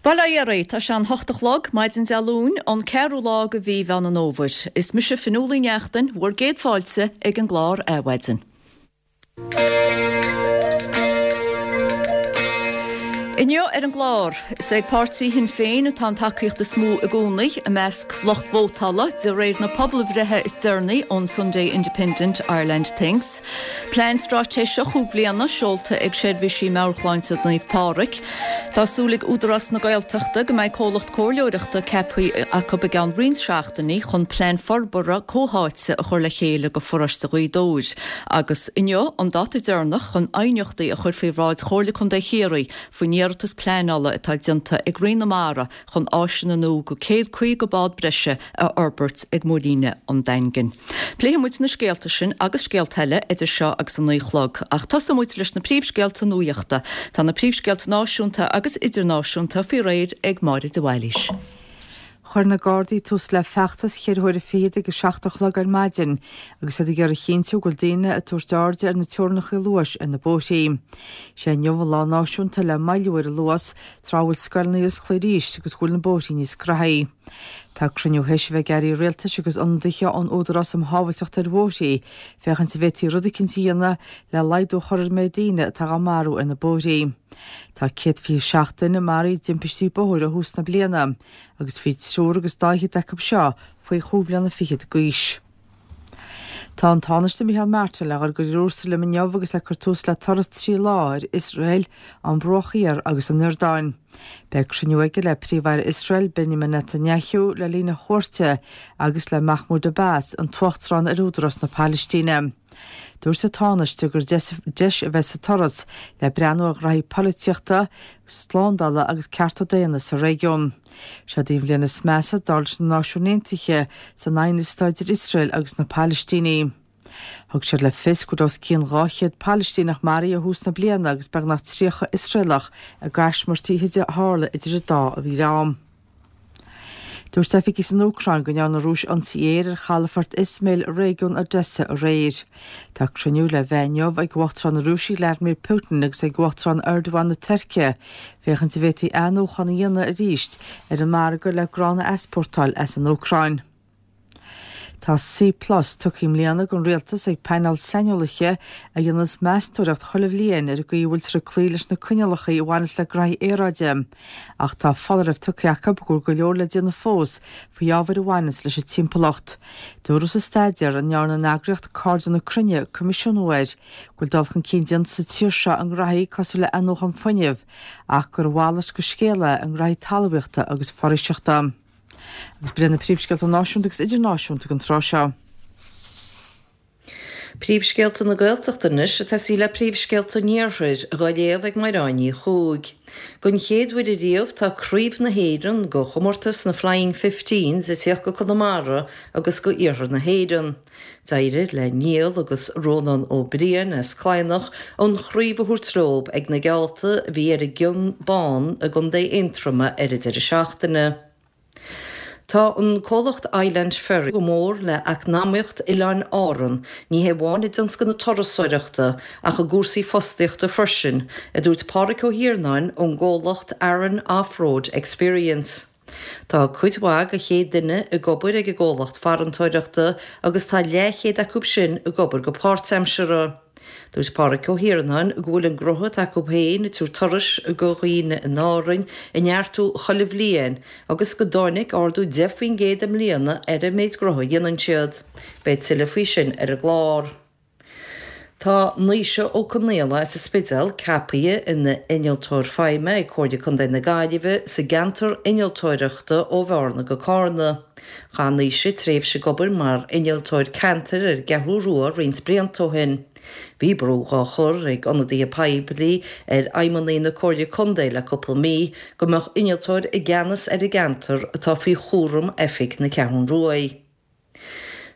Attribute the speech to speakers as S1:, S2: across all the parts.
S1: Bail ó Dhia oraibh, tá sé an hocht a chlog, maidin Dé Luain, an ceathrú lá de mhí Mheán an Fhómhair. Is mise Fionnuala Ní Neachtain, bhur gcéad fáilte ag an gclár Adhmhaidin. Inniu ar an gclár, is ag páirtí Shinn Féin atá an tacaíocht is mó i gcónaí i measc lucht vótála, de réir na pobalbhreithe is deireanaí ón Sunday Independent Ireland Thinks. Plean straitéiseach chúig bhliana seolta ag Seirbhísí Meabhairshláinte Naomh Pádraig. Tá súil ag Údarás na Gaeltachta go mbeidh comhlacht comhairleoireachta ceaptha acu i gceann roinnt seachtainí chun plean forbartha comhtháite a chur le chéile do pharóiste Ghaoth Dobhair agus inniu an dáta deireanach chun aighneachtaí a chur faoi bhráid Chomhairle Contae Chiarraí faoin iarratas pleanála atá déanta ag Roinn na Mara chun áiseanna nua do 150 bád breise a fhorbairt ag Muiríne an Daingin. Pléifidh muid na scéalta sin agus scéalta eile idir seo agus a 9 a chlog, ach tosóidh muid leis na príomhscéalta nuachta. Tá na príomhscéalta náisiúnta agus idirnáisiúnta faoi réir ag Máire de Bhailís.
S2: Chuir na Gardaí tús le feachtas cheithre huaire fichead ag a 7 a chlog ar maidin agus iad ag iarraidh a chinntiú go bhfuil daoine ag tabhairt airde ar na teorainneacha luais ar na bóithrí. Sé inniu an lá náisiúnta le moilliú ar an luas tráth a bhfuil scoileanna ar oscailt arís agus go bhfuil na bóithrí níos graithí. Tá cruinniú théis a bheith ag airí rialtais agus ionadaithe ón Údarás um Shábhailteacht ar Bhóithrí féachaint an bhféadfaí rud eicínt a dhéanamh le laghdú a chur ar an méid daoine atá á marú ar na bóithrí. Tá 127 duine maraithe i dtimpistí bóthair ó thús na bliana agus bhí triúr agus dá fhichead acu seo faoi chúig bhliana fichead d'aois. Tá an Tánaiste Micheál Martin le dhul go Iarúsailéim inniu agus é ag cur tús le turas 3 lá ar Iosrael, an Bruach Thiar agus an Iordáin. Beidh cruinniú aige le Príomh-Aire Iosrael, Benjamin Netanyahu, le linn a chuairte agus le Mahmoud Abbas, an tUachtarán ar Údarás na Palaistíne. Dúirt an Tánaiste gur deis a bheidh sa turas le breathnú ar ghraithí polaitíochta, slándála agus cearta daonna sa réigiún. Seod í an bhliain is measa, dar leis na Náisiúin Aontaithe, san aighneas atá idir Iosrael agus na Palaistínigh. Thug siad le fios go bhfuil os cionn 200 Palaistíneach maraithe ó thús na bliana agus beagnach 30 Iosraelach i gcaismirtí a tharla idir an dá dhream. Dúirt oifigigh san Úcráin go ndearna an Rúis ionsaí aeir ar chalafort Izmail i réigiún Odessa aréir. Tá cruinniú le bheith inniu ag Uachtarán na Rúise Vladimir Putin agus ag Uachtarán Erdogan na Tuirce féachaint an bhféadfaí athnuachan a dhéanamh arís ar an margadh le grán a easpórtáil as an Úcráin. Tá C Plus tugtha i mbliana don Rialtas ag painéal saineolaithe a dhéanas meastóireacht chuile bhliain ar an gcaoi a bhfuiltear ag cloí leis na coinníollacha a bhaineas le graithí aeráide. Ach tá foláireamh tugtha acu go bhfuil go leor le déanamh fós faoi ábhair a bhaineas leis an timpeallacht. Dúradh sa staidéar, a ndearna an eagraíocht Cairde na Cruinne coimisiúnú air, go bhfuil dul chun cinn déanta sa tír seo i ngraithí cosúil le athnuachan fuinnimh ach gur a mhalairt de scéal é i ngraithí talmhaíochta agus foraoiseachta. Agus b'in iad na príomhscéalta náisiúnta agus idirnáisiúnta don tráth seo.
S3: Príomhscéalta na Gaeltachta anois ag tosaí le príomhscéalta an Iarthair, dhá léamh ag Mairéad Ní Chuaig. Don chéad uair ariamh tá Craobh na hÉireann go chomórtas na Flying Fifteens ag tíocht go Conamara agus go Iarthar na hÉireann. D'éirigh le Niall agus Rónán Ó Briain as Cladhnach an chraobh a thabhairt leob ag na geallta a bhí ar an gCionn Bán i gContae Aontroma ar an deireadh seachtaine. Tá an comhlacht Island Ferries go mór le eacnamaíocht Oileáin Árann, ní hé amháin i dtionscal na turasóireachta ach i gcúrsaí fostaíochta freisin, a dúirt Pádhraic Ó hIarnáin ón gcomhlacht Aran Off-Road Experience. Tá cuid mhaith de 100 duine ag obair ag an gcomhlacht farantóireachta agus tá leathchéad acu sin ag obair go páirtaimseartha. Dúirt Pádhraic Ó hIarnáin go bhfuil an gnótha atá acu féin ag tabhairt turais go dhaoine in Árainn ag neartú chuile bhliain agus go dtáinig ardú 10% i mbliana ar an méid gnótha a dhéanann siad. Beidh tuilleadh faoi sin ar an gclár. Tá Naoise Ó Conaola as an Spidéal ceapaithe ina Innealtóir Feidhme ag Comhairle Contae na Gaillimhe sa gceantar innealtóireachta ó Bhearna go Carna. Chaith Naoise tréimhse ag obair mar innealtóir ceantair ar an gCeathrú Rua roinnt blianta ó shin. Bhí brú dhá chur ag ionadaithe poiblí ar fheidhmeannaigh na Comhairle Contae le cúpla mí go mbeadh innealtóir i gceannas ar an gceantar atá faoi chúram oifig na Ceathrún Ruaidh.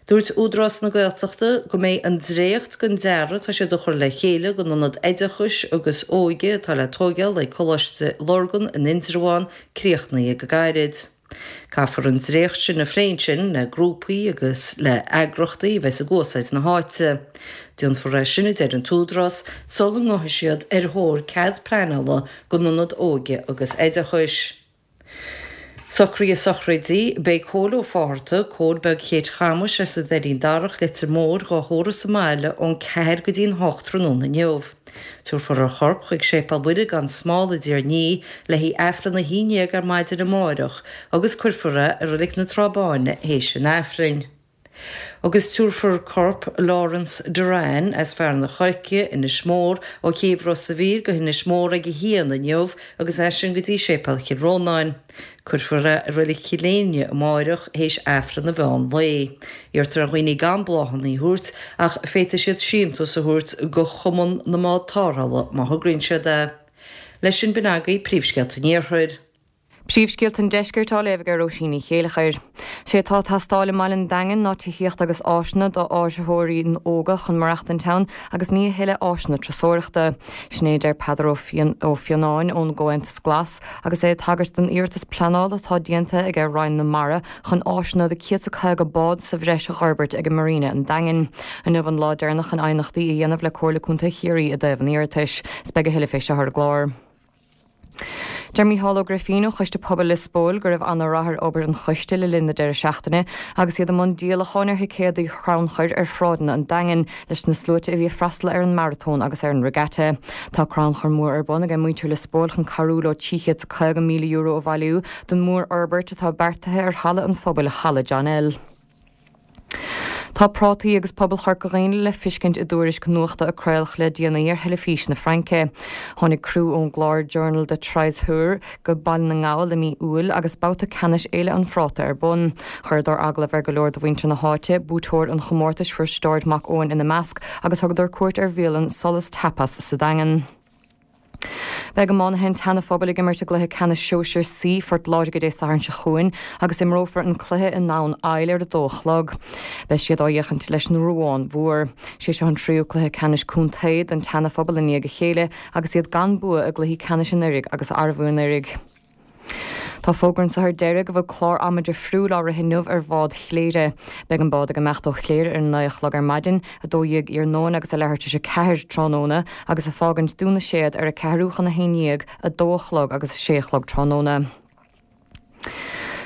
S3: Dúirt Údarás na Gaeltachta go mbeidh an dréacht den dearadh atá siad a chur le chéile don ionad oideachais agus óige atá le tóigeáil ag Coláiste Lurgan in Indreabhán críochnaithe go gairid. Caithfear an dréacht sin a phlé ansin le grúpaí agus le heagrachtaí a bheas ag úsáid na háite. Déanfar é sin, a deir an tÚdarás, sula ngabhfaidh siad ar thóir cead pleanála don ionad óige agus oideachais. Socruithe sochraide, Beidh Cóil Ó Fátharta, Cóil Beag Chéit Chamais as an Doirín Darach, Leitir Móir, dhá thórramh sa mbaile ón 4 go dtí'n 8 tráthnóna inniu. Tabharfar a chorp chuig Séipéal Mhuire gan Smál i dTír an Fhia le haghaidh Aifreann a 11 ar maidin amáireach agus cuirfear é i Reilig na Trá Báine théis an Aifrinn. Agus tabharfar corp Laurence Doran as Fearann an Choirce, Inis Mór, ó chéibh Ros a' Mhíl go hInis Mór ag a haon inniu agus as sin go dtí Séipéal Chill Rónáin. Cuirfear é i Reilig Chill Éinne amáireach théis Aifreann an mheán lae. Iarrtar ar dhaoine gan bláthanna a thabhairt ach féadfaidh siad síntiús a thabhairt go Chumann na mBád Tarrthála má thograíonn siad é. Leis sin b'in agaibh príomhscéalta an Iarthair.
S4: Príomhscéalta an Deiscirt á léamh ag Róisín Ní Chéileachair. Sé atá ag teastáil i mbaile an Daingin ná tithíocht agus áiseanna do áitritheoirí óga chun maireachtaint ann agus ní a thuilleadh áiseanna turasóireachta. Sin é a deir Peadar Ó Fionnáin ón gComhaontas Glas agus é ag tagairt don iarratas pleanála atá déanta aige Roinn na Mara chun áiseanna do 150 bád sa bhreis a dh'fhorbairt ag Marina an Daingin. Inniu an lá deireanach chun aighneachtaí a dhéanamh le Comhairle Contae Chiarraí i dtaobh an iarratais. 'S beidh a thuilleadh fé seo ar an gclár. Deir Mícheál Ó Grifín ó Choiste Pobail Lios Póil go raibh ana-rath ar obair an choiste le linn na deireadh seachtaine agus iad i mbun díolacháin ar thicéadaí chrannchuir ar shráideanna an Daingin leis na sluaite a bhí ag freastal ar an maratón agus ar an regatta. Tá crannchur mór ar bun ag muintir Lios Póil chun cabhrú leo €350,000 a bhailiú don mhórfhorbairt atá beartaithe ar Halla an Phobail, Halla John L. Tá prátaí agus pobal Chorca Dhuibhne le fiscint i dtuairisc nuachta a craoladh le déanaí ar theilifís na Fraince. Tháinig criú ón gclár Journal de Treize Heures go Baile na nGall i mí Iúil agus babhta ceannais Fhéile an Phráta ar bun. Chuireadar agallamh ar go leor de mhuintir na háite, buaiteoir an chomórtais Risteárd Mac Eoin ina measc, agus thugadar cuairt ar bhialann Solas Tapas sa Daingean. Beidh iománaithe an tSeana-Phobail ag imirt i gcluiche ceannais Sóisir C Phort Láirge Dé Sathairn seo chugainn agus imreofar an cluiche i nDamhan Aill ar a dó a chlog. Beidh siad á fhéachaint leis an Ruán Mhór. Sé seo an tríú cluiche ceannais contae don tSeana-Phobal i ndiaidh a chéile agus iad gan bua i gcluichí ceannais anuraidh agus arbhú anuraidh. Tá fógra anseo ar deireadh go bhfuil clár ama difriúil á rith inniu ar bhád Chléire. Beidh an bád ag imeacht ó Chléire ar a naoi a chlog ar maidin, 12 iarnóin agus a leathuair tar éis 4 tráthnóna agus ag fágaint Dún na Séad ar a ceathrú chun a haon dhéag, 2 a chlog agus a sé a chlog tráthnóna.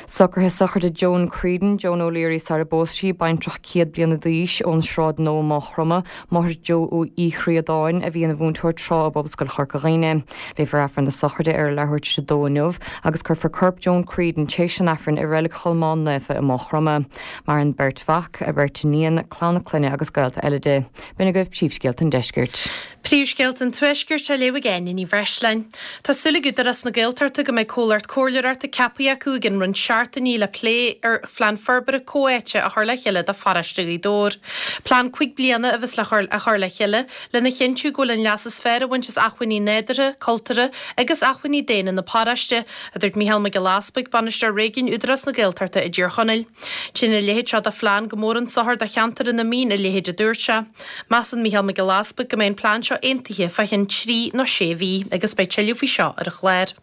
S4: Socruithe sochraide Joan Creedon, Joan O'Leary sara bpós sí, baintreach 100 bliana d'aois ón Sráid Nua, Maigh Chromtha, máthair Joe Uí Chríodáin, a bhí ina mhúinteoir tráth i bPobalscoil Chorca Dhuibhne. Léifear Aifreann na sochraide ar a leathuair tar éis a dó inniu agus cuirfear corp Joan Creedon tar éis an Aifrinn i Reilig Cholmáin Naofa i Maigh Chromtha. Maireann beirt mhac, a beirt iníon, clann a clainne agus gaolta eile di. B'in agaibh príomhscéalta an deiscirt.
S5: Príomhscéalta an Tuaiscirt á léamh ag Áine Ní Bhreisleáin. Tá súil ag Údarás na Gaeltachta go mbeidh comhlacht comhairleoireachta ceaptha acu i gcionn roinnt seachtainí le plé ar phlean forbartha comhtháite a chur le chéile do pharóiste Ghaoth Dobhair. Plean 5 bliana a bheas le a chur le chéile lena chinntiú go bhfuil an leas is fearr á bhaint as acmhainní nádúrtha, cultúrtha agus acmhainní daonna na paróiste, a dúirt Mícheál Mac Giolla Easbuig, Bainisteoir Réigiúin Údarás na Gaeltachta i dTír Chonaill. Téann a leithéid seo de phlean go mór chun sochair do cheantar ina mbíonn a leithéid, a dúirt sé. Measann Mícheál Mac Giolla Easbuig go mbeidh an plean seo aontaithe fá cheann trí nó sé mhí agus beidh tuilleadh faoi seo ar an chlár.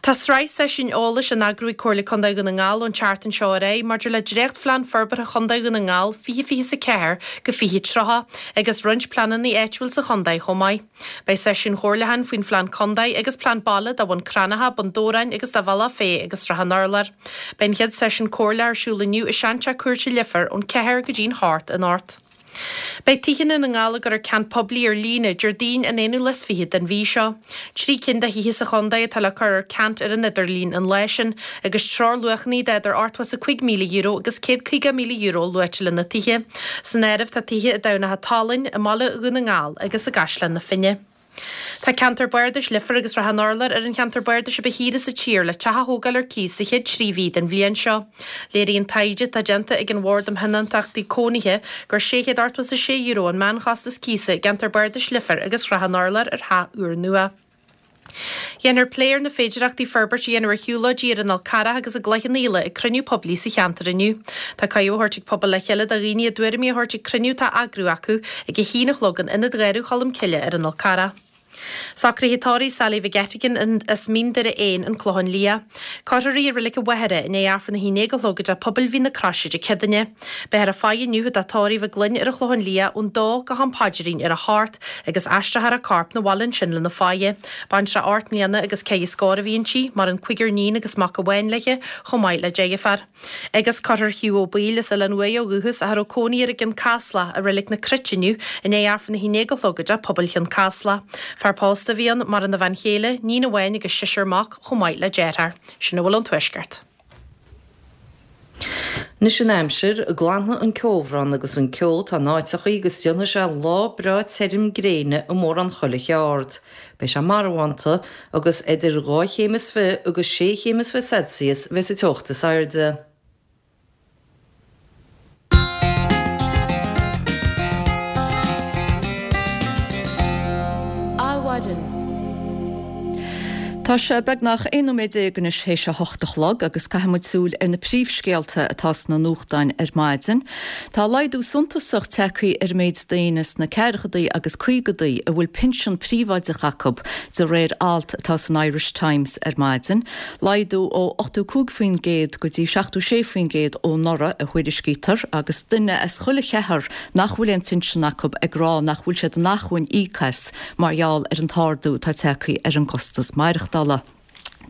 S5: Tá sraith seisiúin eolais á n-eagrú ag Comhairle Contae Dhún na nGall ón tseachtain seo ar aghaidh maidir le dréachtphlean forbartha Chontae Dhún na nGall 2024-2030 agus roinnt pleananna áitiúil sa chontae chomh maith. Beidh seisiúin chomhairliúcháin faoin phlean contae agus plean baile do Bhun Cranncha, Bun Dobhráin agus do Bhealach Féich agus Srath an Urláir. Beidh an chéad seisiún comhairleach ar siúl inniu i Seanteach Cúirte Leifear ón 4 go dtí'n 8 anocht. Beidh tithe i nDún na nGall ag cur ar ceant poiblí ar líne Déardaoin an aonú lá is fichead den mhí seo. Trí cinn de thithe sa chontae atá le cur ar ceant ar an idirlíon an lá sin, agus treoirluachanna d'idir €85,000 agus €150,000 luaite le na tithe. San áireamh tá tithe i dTamhnach an tSalainn, i mbaile Dhún na nGall agus i gCaisleán na Finne. Tá ceantar bardais Leifear agus Srath an Urláir ar an cheantar bardais a ba shaoire sa tír le teach a thógáil ar cíos sa chéad trí mhí den bhliain seo. Léiríonn taighde atá déanta ag an Bhord um Thionóntachtaí Cónaithe gur €686 an meánchostas cíosa i gceantar bardais Leifear agus Shrath an Urláir ar theach úrnua. Dhéanfar plé ar na féidearthachtaí forbairt a dhéanamh ar shiúlóidí ar an Fhál Carrach agus i gCloich Cheann Fhaola ag cruinniú poiblí sa cheantar inniu. Tá cuireadh á thabhairt ag Pobal le Chéile do dhaoine a dtuairimí a thabhairt ag cruinniú atá á eagrú acu ag a haon a chlog in Ionad Gharadh Cholm Cille ar an Fhál Carrach. Socruithe tórraimh Sally McGettigan as Mín Doire 1, An Clochán Liath. Cuirfear í i Reilig an Mhachaire i ndiaidh Aifreann a haon déag a chlog i dTeach Pobail Mhín na Croise Dé Céadaoine. Beifear ag faire inniu i dteach tórraimh a clainne ar an Chlochán Liath ón dó go ham paidrín ar a hocht agus aistreofar a corp 'na bhaile ansin lena faire. Baintreach 8 mbliana agus ceithre scór a bhí inti, maireann cúigear níon agus mac amháin léi, chomh maith le deirfiúr. Agus cuirfear Hugh Ó Baoill as Oileán Uaighe ó dhúchas ach a raibh cónaí air i gCionn Caslach, i Reilig na Cruite inniu i ndiaidh Aifreann a haon déag a chlog i dTeach Pobail Chionn Caslach. Fear pósta a bhí ann, maireann a bhean chéile, níon amháin agus seisear mac, chomh maith le deartháir. Sin a bhfuil ón Tuaisceart.
S3: Anois an aimsir, glanfaidh an ceobhrán agus an ceo atá in áiteachaí agus déanfaidh sé lá breá tirim gréine i mórán chuile cheárd. Beidh sé marbhánta agus idir dhá chéim is fi agus sé chéim is fi Celsius a bheas an teocht is airde.
S1: Adhmhaidin. Tá sé beagnach 11 nóiméad anois théis a hocht a chlog agus caithfidh muid súil ar na príomhscéalta atá sna nuachtáin ar maidin. Tá laghdú suntasach tagtha ar an méid daoine sna ceathrachaidí agus caogadaí a bhfuil pinsean príobháideach acu, de réir alt atá san Irish Times ar maidin. Laghdú ó 85% go dtí 76% ó anuraidh a thuairiscítear agus duine as chuile cheathrar nach bhfuil aon phinsean acu ag rá nach bhfuil siad in acmhainn íoc as mar gheall ar an t-ardú atá tagtha ar an gcostas maireachtála.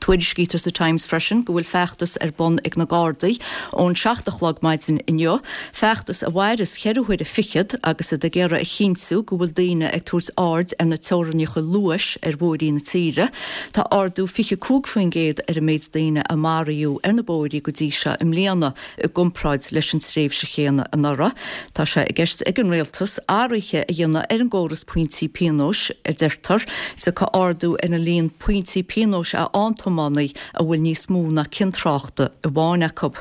S1: Tuairiscítear sa Times freisin go bhfuil feachtas ar bun ag na Gardaí ón 7 a chlog maidin inniu, feachtas a mhaireas cheithre huaire fichead agus iad ag iarraidh a chinntiú go bhfuil daoine ag tabhairt aird ar na teorainneacha luais ar bhóithrí na tíre. Tá ardú 25% ar an méid daoine a maraíodh ar na bóithrí go dtí seo i mbliana i gcomparáid leis an tréimhse chéanna anuraidh. Tá sé i gceist ag an Rialtas athruithe a dhéanamh ar an gcóras pointí pionóis, a deirtear. Tiocfaidh ardú ar an líon pointí pionóis a fhaigheann tiománaí a bhfuil níos mó ná cion tráchta amháin acu.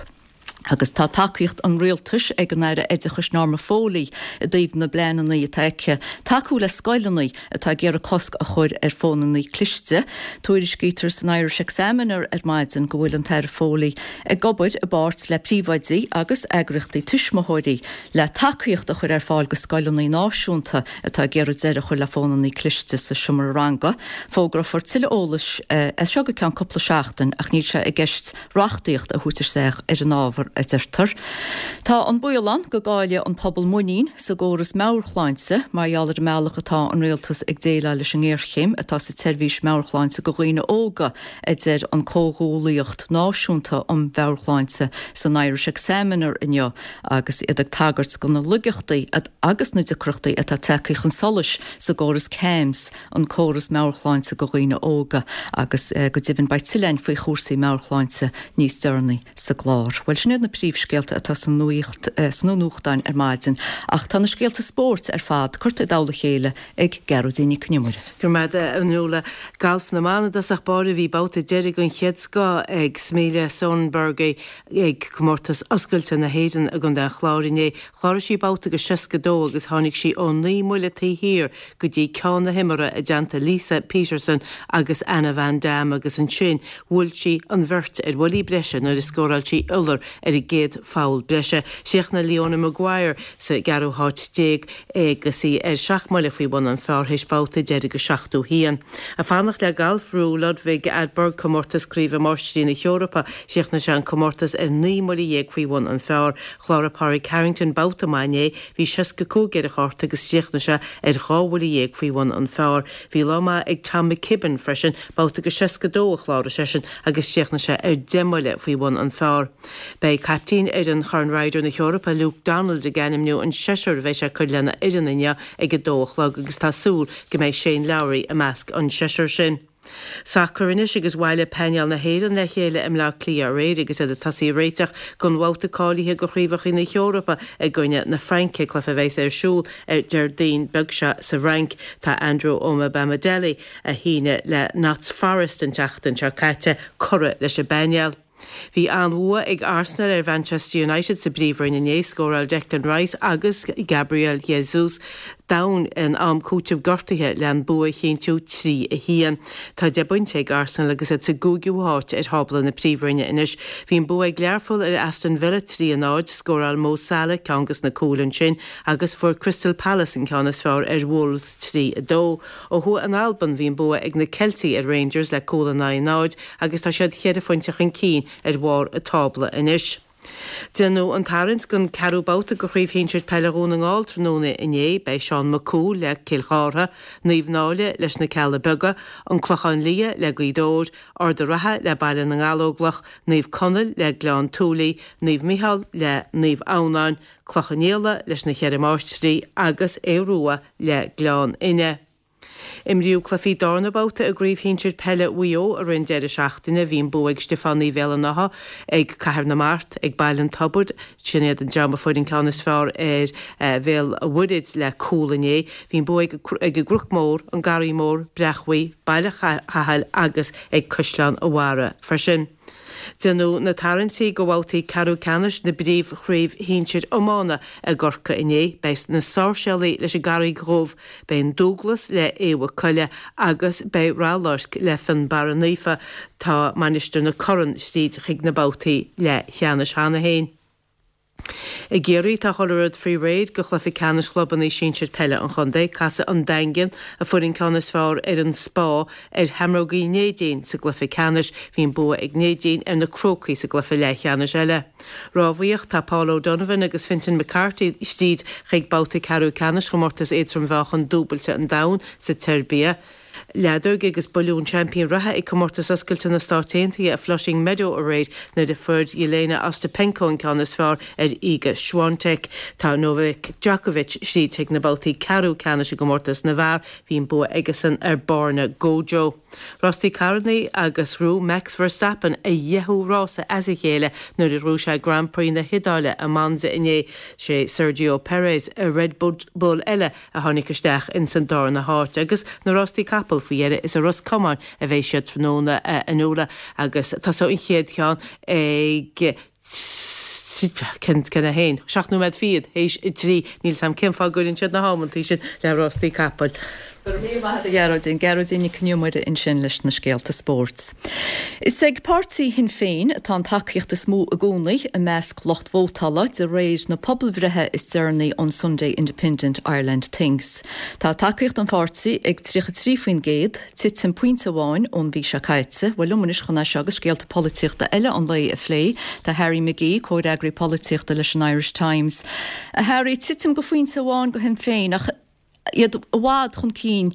S1: Agus tá tacaíocht an Rialtais ag an Aire Oideachais Norma Foley i dtaobh na bpleananna atá aici tacú le scoileanna atá ag iarraidh cosc a chur ar fónanna cliste. Tuairiscítear san Irish Examiner ar maidin go bhfuil an tAire Foley ag obair i bpáirt le príomhoidí agus eagraíochtaí tuismitheoirí le tacaíocht a chur ar fáil go scoileanna náisiúnta atá ag iarraidh deireadh a chur le fónanna cliste sa seomra ranga. Fógrófar tuilleadh eolais as seo go ceann cúpla seachtain ach níl sé i gceist reachtaíocht a thabhairt isteach ar an ábhar, a deirtear. Tá an baol ann go gcaillfidh an pobal muinín sa gcóras meabhairshláinte mar gheall ar an mbealach atá an rialtas ag déileáil leis an ngéarchéim atá sa tseirbhís meabhairshláinte go dhaoine óga, a deir an Comhghuallaíocht Náisiúnta um Mheabhairshláinte san Irish Examiner inniu agus iad ag tagairt do na laigeachtaí agus na deacrachtaí atá tagtha chun solais sa gcóras CAMHS, an córas meabhairshláinte go dhaoine óga, agus go deimhin beidh tuilleadh againn faoi chúrsaí meabhairshláinte níos deireanaí sa gclár. Bhuel, sin iad na príomhscéalta atá sa nuaíocht, sna nuachtáin ar maidin, ach tá na scéalta spóirt ar fad curtha i dtoll a chéile ag Gearóidín Nic Con Iomaire.
S6: Go raibh maith agat, a Fhionnuala. Galf na mban i dtosach báire bhí babhta deiridh den chéad scoth ag Smilla Sundberg ag Comórtas Oscailte na hÉireann i gContae an Chláir inné. Chláraigh sí babhta de 62 agus tháinig sí ó 9 mbuille taobh thiar go dtí ceann na himeartha i dteannta Lisa Peterson agus Anna Van Dam agus ansin bhuail sí an bheirt ar bhuillí breise nuair a scóráil sí iolar ar an gcéad pholl breise. Chríochnaigh Leona Maguire sa gceathrú háit déag agus í ar sheacht mbuille faoi bhun an phar théis babhta deiridh de 71. Ag fanacht le galf, bhuaigh Ludvig Åberg comórtas Craoibhe Máistrí na hEorpa. Chríochnaigh sé an comórtas ar 19 mbuille faoi bhun an phar. Chláraigh Pádraig Harrington babhta maith inné, bhí 65 ar a chárta agus chríochnaigh sé ar 12 bhuille faoi bhun an phar. Bhí lá maith ag Tom McKibbin freisin, babhta de 62 a chláraigh seisean agus chríochnaigh sé ar 10 mbuille faoi bhun an phar. Beidh caiptín fhoireann Chorn Ryder na hEorpa, Luke Donald, ag ainmniú an seisear a bheidh sé ag cur lena fhoireann inniu ag 2 a chlog agus tá súil go mbeidh Shane Lowry i measc an seisear sin. Sacar anois agus bhailigh painéal na hÉireann le chéile i mBleá Cliath aréir agus iad ag tosaí ag réiteach don bhabhta cáilithe do Chraobhacha na hEorpa i gcoinne na Fraince, cluiche a bheas ar siúl ar Déardaoin beag seo sa bhFrainc. Tá Andrew Omobamidele, a shínigh le Notts Forest an tseachtain seo caite, curtha leis an bpainéal. Bhí an-bhua ag Arsenal ar Mhanchester United sa bPríomhroinn inné. Scóráil Declan Rice agus Gabriel Jesus. Domhain in am cúitimh gortaithe le an bua a chinntiú 3, 1. Tá 10 bpointe ag Arsenal agus iad sa gcúigiú háit ar thábla na Príomhroinne anois. Bhí an bua ag Learpholl ar Aston Villa 3, 0. Scóráil Mo Salah ceann dos na cúil ansin agus fuair Crystal Palace an ceann is fearr ar Wolves 3, 2. Ó thuaidh in Albain bhí an bua ag na Ceiltigh ar Rangers le cúl in aghaidh 0 agus tá siad cheithre phointe chun cinn ar bharr an tábla anois. Déanadh an tarraingt don ceathrú babhta de Chraobh Shinsir Peile Dhún na nGall tráthnóna inné. Beidh Seán Mac Cumhaill le Cill Chártha, Naomh Náille leis na Cealla Beaga, An Clochán Liath le Gaoth Dobhair, Ard an Rátha le Baile na nGallóglach, Naomh Conaill le Gleann tSúilí, Naomh Micheál le Naomh Adhamhnáin, Cloich Cheann Fhaola leis na Cheithre Máistrí agus Aodh Rua le Gleann Fhinne. Imríodh cluichí darna babhta i gCraobh Shinsir Peile Mhaigh Eo i rith an deireadh seachtaine. Bhí an bua ag Stiofánaigh Bhéal an Átha, ag Cathair na Mart, ag Baile an Tobair, sin iad an dream a fuair an ceann is fearr ar Bhéal Mhuirthead le cúl inné. Bhí an bua ag an gCnoc Mór, an Garraí Mór, Breachmhaigh, Baile Chathail agus ag Caisleán an Bharraigh freisin. Déanadh na tarraingtí do bhabhtaí ceathrú ceannais na bPríomh-Chraobh Shinsir Iomána i gCorcaigh inné. Beidh na Sáirséalaigh leis an gCarraig Dhubh, beidh an Dúglas le Aodh Mhaigh Coille agus beidh Ráth Luirc le Fionnbarra Naofa. Tá Mainistir na Corann tríd chuig na babhtaí leathcheannais cheana féin. I gCiarraí, tá chuile rud faoi réir do chluiche ceannais chlubanna sinsir peile an chontae. Casfaidh an Daingean, a fuair an ceann is fearr ar an Spá, ar Sheamrógaí Neidín sa gcluiche ceannais. Bhí an bua ag Neidín ar na Crócaigh sa gcluiche leathcheannais eile. Rámhaíocht, Tá Paul O'Donovan agus Fintan McCarthy tríd chuig babhta ceathrú ceannais chomórtas éadrom-mheáchan dúbailte an domhain sa tSeirbia. Leadóg agus buaileadh an seaimpín reatha ag Comórtas Oscailte na Stát Aontaithe i Flushing Meadow aréir nuair a fuair Jelena Ostapenko an ceann is fearr ar Iga Swiatek. Tá Novak Djokovic tríd chuig na babhtaí ceathrú ceannais i gcomórtas na bhfear. Bhí an bua aigesan ar Borna Gojo. Rástaí carrannaí agus ghnóthaigh Max Verstappen a dheichiú rása as a chéile nuair a ghnóthaigh sé Grand Prix na hIodáile i Monza inné. Sé Sergio Perez i Red Bull eile a tháinig isteach ins an darna háit agus na rástaí capall faoi dheireadh is i Ros Comáin a bheidh siad tráthnóna a Fhionnuala agus tosóidh an chéad cheann ag cén cén a haon, 7 nóiméad fichead théis a 3, níl 's a'm cén fáth a gcuireann siad na hamantaí sin le rástaí capaill.
S1: Go raibh míle maith agat a Ghearóidín. Gearóidín Nic Con Iomaire ansin leis na scéalta spóirt. Is ag páirtí Shinn Féin atá an tacaíocht is mó i gcónaí i measc lucht vótála de réir na pobalbhreithe is deireanaí ón Sunday Independent Ireland Thinks. Tá tacaíocht an pháirtí ag 33%, titim pointe amháin ón mhí seo caite. Bhuel liom anois chun é seo agus scéalta polaitíochta eile an lae a phlé, tá Harry McGee, comhfhreagraí polaitíochta leis an Irish Times. A Harry, titim de phointe amháin do Shinn Féin ach iad i bhfad chun cinn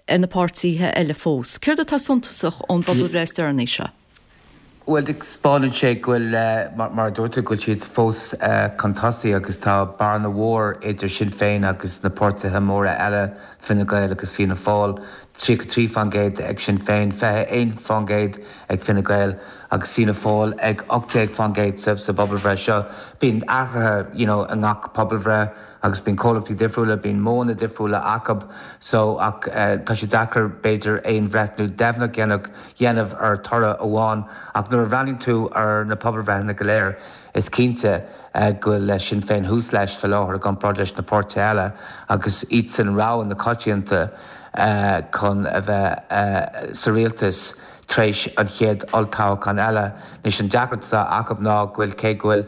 S1: ar na páirtithe eile fós. Céard atá suntasach ón bpobalbhreith is deireanaí seo?
S7: Bhuel, taispeánann sé go bhfuil, mar a dúirt tú, go bhfuil siad fós chun tosaigh agus tá bearna mhór idir Sinn Féin agus na páirtithe móra eile, Fine Gael agus Fianna Fáil. 33% ag Sinn Féin, 21% ag Fine Gael agus Fianna Fáil ag 18% sa bpobalbhreith seo. Bíonn athruithe you know i ngach pobalbhreith. agus bíonn comhlachtaí difriúla, bíonn modhanna difriúla acu so ach tá sé deacair b'fhéidir aon bhreithniú deimhneach dhéanamh dhéanamh ar toradh amháin ach nuair a bhreathnaíonn tú ar na pobalbhreitheanna go léir is cinnte go bhfuil Sinn Féin thuas leis fé láthair i gcomparáid leis na páirtithe eile agus iadsan rogha na coitianta chun a bheith sa rialtas tar éis an chéad olltoghchán eile. Anois an deacracht atá acu ná go bhfuil cé go bhfuil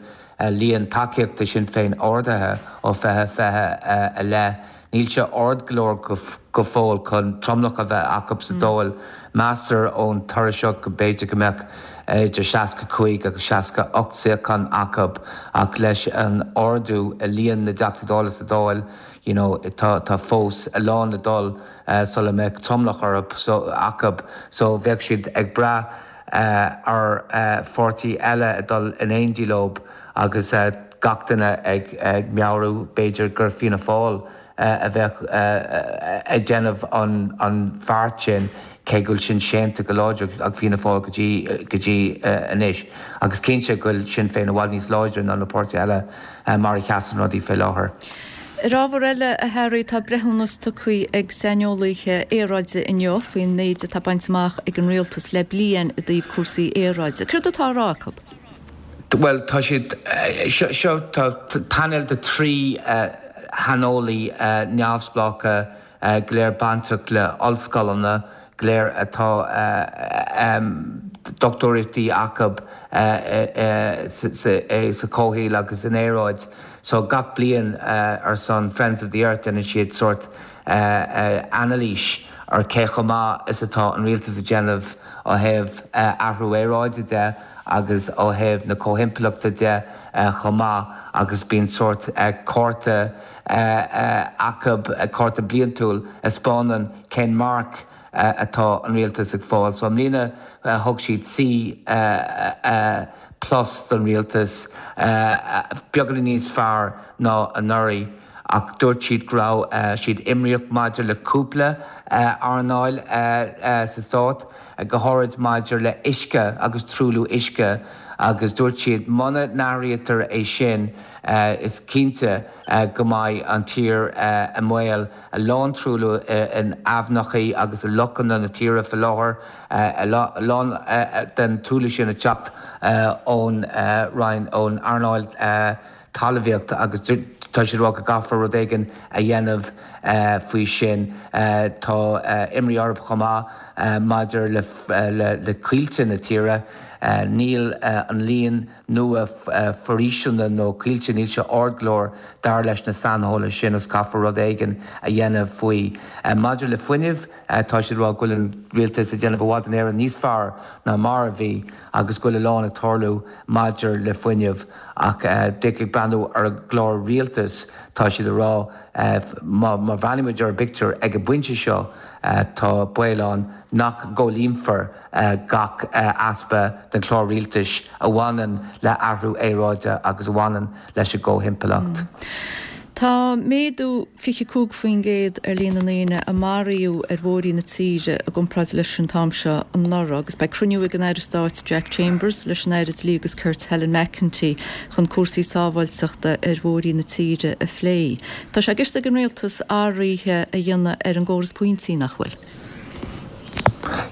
S7: líon tacaíochta Sinn Féin ardaithe ó 2020 i leith. Níl sé ard go leor go fóill chun tromlach a bheith acu sa Dáil. Meastar ón toradh seo go mb'fhéidir go mbeadh idir 65 agus 68 suíochán acu ach leis an ardú i líon na dTeachtaí Dála sa Dáil you know tá tá fós a lán le dul sula mbeadh tromlach orthu so acu so bheadh siad ag brath ar pháirtí eile a dul in éindí leo agus gach duine ag meabhrú b'fhéidir gur Fianna Fáil a bheadh ag déanamh an bheart sin cé go bhfuil sin séanta go láidir ag Fianna Fáil go dtí go dtí anois. Agus cinnte go bhfuil Sinn Féin i bhfad níos láidre ná na páirtithe eile mar a sheasann rudaí fé láthair.
S1: Ar ábhar eile, a Harry, tá breithiúnas tugtha ag saineolaithe aeráide inniu faoin méid atá bainte amach ag an rialtas le bliain i dtaobh cúrsaí aeráide. Céard atá á rá acu?
S7: Bhuel, tá siad, seo, tá painéal de 13. shaineolaí neamhspleácha, go léir bainteach le ollscoileanna, go léir atá dochtúireachtaí acu sa chomhshaol agus san aeráid. So gach bliain ar son Friends of the Earth déanann siad sórt anailís ar cé chomh maith is atá an rialtas ag déanamh ó thaobh athrú aeráide de agus ó thaobh na comhthimpeallachta de chomh maith agus bíonn sórt cárta acu, cárta bliantúil a 'spáineann cén marc atá an rialtas ag fáil. So i mbliana thug siad C plus don rialtas, beagáinín níos fearr ná anuraidh ach dúirt siad go raibh siad imníoch maidir le cúpla earnáil sa stát, go háirid maidir le huisce agus truailliú uisce agus dúirt siad muna n-athraítear é sin is cinnte go mbeidh an tír i mbaol. A lán truailliú in aibhneacha agus i lochanna na tíre faoi láthair, a lán den truailliú sin ag teacht ón Roinn, ón earnáil talmhaíochta agus tá siad ag rá go gcaithfear rud éigin a dhéanamh faoi sin. Tá imní orthu chomh maith maidir le coillte na tíre. Níl an líon nua foraoiseanna nó coillte, níl sé ard go leor dar leis na saineolaithe sin agus caithfear rud éigin a dhéanamh faoi. Maidir le fuinneamh, tá siad ag rá go bhfuil an rialtas ag déanamh i bhfad in Éirinn níos fearr ná mar a bhí agus go bhfuil a lán ag tarlú maidir le fuinneamh ach ag breathnú ar an gclár rialtais tá siad ag rá má bhreathnaímid ar an bpictiúr ag an bpointe seo tá baol ann nach gcomhlíonfar gach easpa den chlár rialtais a bhaineann le athrú aeráide agus a bhaineann leis an gcomhthimpeallacht.
S1: Tá méadú 25% ar líon na ndaoine a maraíodh ar bhóithrí na tíre i gcomparáid leis an t-am seo anuraidh agus beidh cruinniú ag an Aire Stáit Jack Chambers leis an Aire Dlí agus Cirt Helen McEntee chun cúrsaí sábháilteachta ar bhóithrí na tíre a phlé. Tá sé i gceist ag an Rialtas athruithe a dhéanamh ar an gcóras pointí, nach bhfuil?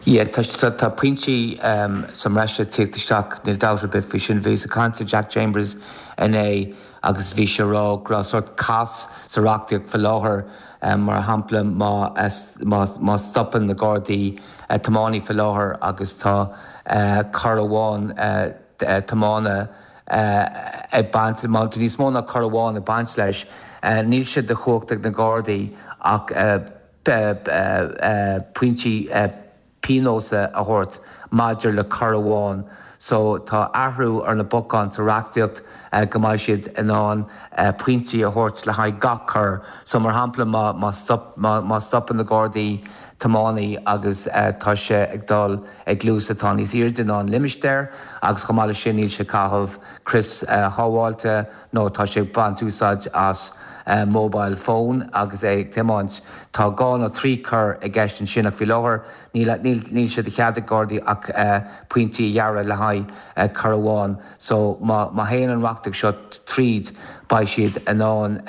S7: Yeah, tá, tá pointí sa mbreis ag tíocht isteach, níl dabht ar bith faoi sin. Bhíos ag caint le Jack Chambers inné agus bhí sé ag rá go raibh sórt cás sa reachtaíocht faoi láthair, mar shampla má, má, má stopann na Gardaí tiománaí faoi láthair agus tá cor amháin tiomána ag baint, má tá níos mó ná cor amháin ag baint leis, níl sé de chumhacht ag na Gardaí ach pointí pionóis a thabhairt maidir le cor amháin. So tá athrú ar na bacáin sa reachtaíocht go mbeidh siad in ann pointí a thabhairt le haghaidh gach cor. So mar shampla má má stop má stopann na Gardaí tiománaí agus tá sé ag dul ag luas atá níos airde ná an limistéar agus chomh maith leis sin níl sé ag caitheamh crios shábháilte, nó tá sé ag baint úsáid as mobile phone agus é ag tiomáint. Tá dhá nó trí cor i gceist ansin ach faoi láthair níl níl sé de chead ag Gardaí ach pointí a ghearradh le haghaidh cor amháin. So má má théann an reachtaíocht seo tríd beidh siad in ann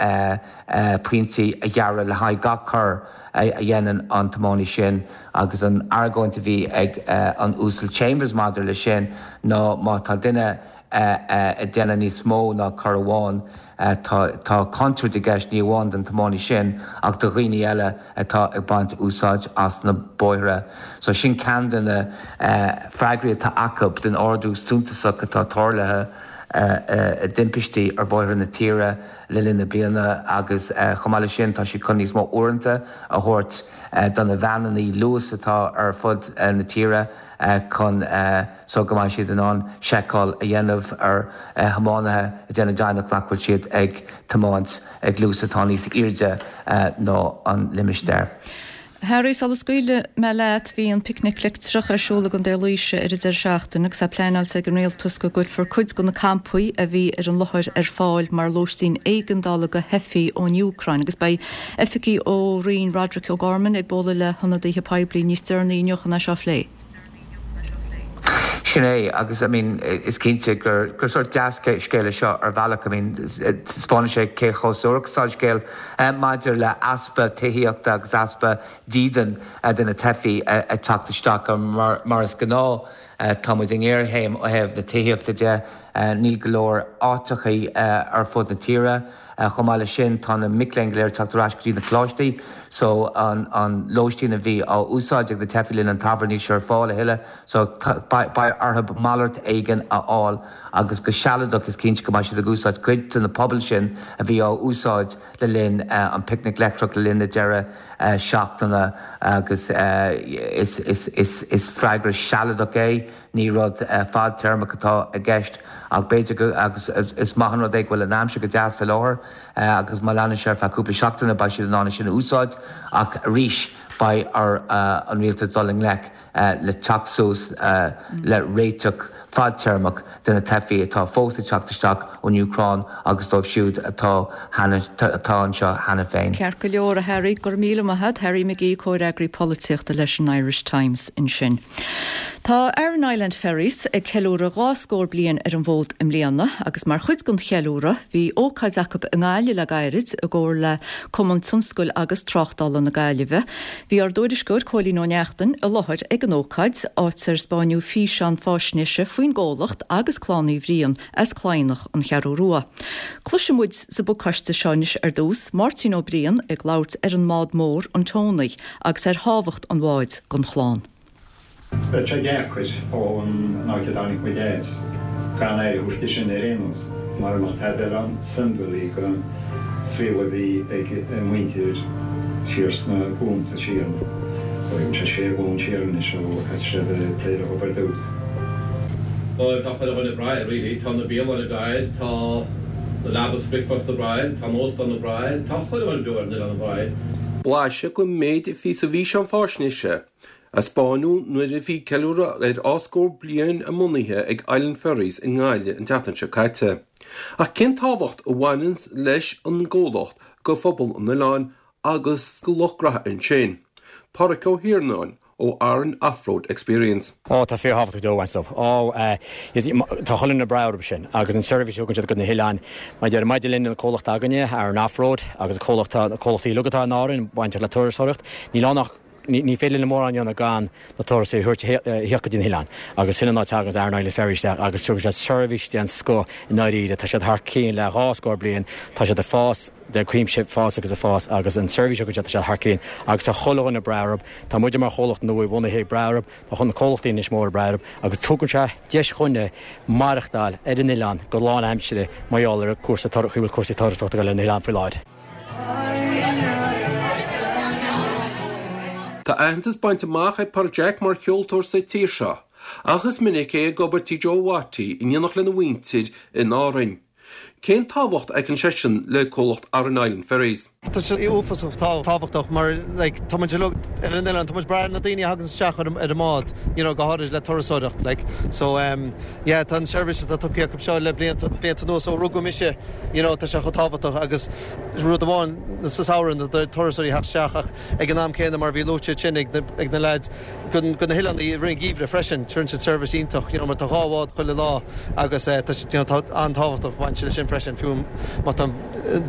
S7: pointí a ghearradh le haghaidh gach cor a dhéanann an tiománaí sin agus an argóint a bhí ag an Uasal Chambers maidir leis sin ná má tá duine ag déanamh níos mó ná cor amháin. Tá contúirt i gceist ní amháin don tiománaí sin ach do dhaoine eile atá ag baint úsáid as na bóithre. So sin ceann de na freagraí atá acu don ardú suntasach atá tarlaithe i dtimpistí ar bhóithre na tíre le linn na bliana agus chomh maith leis sin tá siad chun níos mó uaireanta a thabhairt do na veaineanna luais atá ar fud na tíre. chun so go mbeidh siad in ann seiceáil a dhéanamh ar thiománaithe ag déanamh deimhneach nach bhfuil siad ag tiomáint ag luas atá níos airde ná an limistéar.
S1: Harry, sula scaoilfidh mé leat, bhí an Picnic Leictreach ar siúl i gContae Laoise ar an deireadh seachtaine agus é pleanáilte ag an Rialtas go gcuirfear cuid de na campaí a bhí ar an láthair ar fáil mar lóistín éigeandála do theifigh ón Úcráin agus beidh Oifigigh ó Roinn Roderic O'Gorman ag bualadh le hionadaithe poiblí níos deireanaí inniu chun é seo a phlé.
S7: Sin é, agus I mean is cinnte gur gur sórt dea-scéal é seo ar bhealach. I mean taispeánann sé cé chomh suarach is atá an scéal maidir le easpa tithíochta agus easpa dídean do na teifigh ag teacht isteach mar mar is gnáth. Tá muid i ngéarchéim ó thaobh na tithíochta de. Níl go leor áiteachaí ar fud na tíre. Chomh maith leis sin, tá na mic léinn go léir ag teacht ar ais go dtí na coláistí so an lóistín a bhí á úsáid ag na teifigh le linn an tsamhraidh, níl sé ar fáil a thuilleadh so beidh orthu malairt éigin a fháil agus go sealadach is cinnte go mbeidh siad ag úsáid cuid de na pubaill sin a bhí á úsáid le linn an Picnic Leictreach le linn na deireadh seachtaine agus is freagra sealadach é. Ní rud fadtéarmach atá i gceist ach b'fhéidir go, agus is maith an rud é go bhfuil an aimsir go deas fé láthair agus má leanann sé ar feadh cúpla seachtaine beidh siad in ann é sin a úsáid ach arís beidh ar an rialtas dul i ngleic le teacht suas le réiteach fadtéarmach de na teifigh atá fós ag teacht isteach ón Úcráin agus dóibh siúd atá atá anseo cheana féin.
S1: Ceart go leor, a Harry. Go raibh míle maith a't. Harry McGee, Comhfhreagraí Polaitíochta leis an Irish Times ansin. Tá Aran Island Ferries ag ceiliúradh 2 scór bliain ar an bhfód i mbliana agus mar chuid den cheiliúradh bhí ócáid acu i nGaillimh le gairid i gcomhar le Cumann Tionscail agus Tráchtála na Gaillimhe. Bhí ár dtuairisceoir Cóilín Ó Neachtain i láthair ag an ócáid, áit ar 'spáineadh físeán fáisnéise faoin gcomhlacht agus Clann Uí Bhriain as Cladhnach, An Cheathrú Rua. Cloisfidh muid sa bpacáiste seo anois ar dtús Máirtín Ó Briain ag labhairt ar an mbád mór, an Tony, agus ar thábhacht an bháid don chlann.
S8: Bheadh sé deacair ón áit a dtáinig muid as gan aire a thabhairt di sin ar aon nós, mara mbeadh tada eile ann, suimiúil í don saol a bhí ag a muintir siar sna glúnta siar, bhuel, sé sé ghlúin siar anois ó thosaigh siad ag plé le hobair ar dtús.
S9: Bhuel, tá chuile dhuine ag brath air, really. Tá na bialanna ag brath air, tá na leaba is bricfeasta ag brath air, tá an óstán ag brath air, tá chuile dhuine beo ar an oileán ag brath air.
S10: Blaiseadh den méid a bhí sa bhfíseán fáisnéise a 'spáineadh nuair a bhí ceiliúradh ar dhá scór bliain a mbunaithe ag Island Ferries i nGaillimh an tseachtain seo caite. Ach cén tábhacht a bhaineann leis an gcomhlacht go phobal an oileáin agus go lucht graithe ansin? Páraic Ó hIarnáin ó Aran Offroad Experience.
S11: Ó, tá fíorthábhachtach dó, baint leo. Ó, tá chuile dhuine ag brath orthu sin agus an seirbhís a thugann siad go na hoileáin. Mar a deirim, maidir linn, an comhlacht againne, Aran Offroad, agus an comhlacht, na comhlachtaí uilig atá in Árainn bainteach le turasóireacht, níl ann ach, Ní féidir linn mórán a dhéanamh gan na turasóirí a thabhairt a thíocht go dtí na hoileáin agus sin an áit a dtagann Aran Island Ferries isteach agus tugann siad seirbhís den scoth i ndáiríre. Tá siad thar cionn le 2 scór bliain, tá siad ag fás de cuimse, fás agus ag fás agus an seirbhís a thugann siad tá siad thar cionn agus tá chuile dhuine ag brath orthu. Tá muide mar chomhlacht nua bhunaithe ag brath orthu, tá na comhlachtaí anois mór ag brath orthu agus tugann sé deis dhuine maireachtáil ar an oileán go lán aimsire mar gheall ar cúrsaí chaoi a bhfuil cúrsaí turasóireachta ag dul ar an oileán faoi láthair.
S10: Tá aitheantas bainte amach ag Pádraic Jack mar cheoltóir sa tír seo, ach is minic é ag obair tí Joe Watty in éineacht lena mhuintir in Árainn. Cén tábhacht a fheiceann seisean le comhlacht Aran Island Ferries?
S12: Tá sé uafásach tábhachtach mar like tá muid uilig ar an oileán, tá muid ag brath ar na daoine a thagann isteach ar an mbád you know go háirid le turasóireacht like so um yeah tá an seirbhís atá tugtha acu seo le blianta blianta anuas ó rugadh mise you know tá sé chomh tábhachtach agus rud amháin sa samhradh na turasóirí a theacht isteach ach ag an am céanna mar a bhí luaite ansin ag na ag na leaids go go na hoileáin i rith an gheimhridh freisin tugann siad seirbhís iontach you know mar tá 2 bhád chuile lá agus eh tá you know tá an-tábhachtach baint leis sin freisin fiú má tá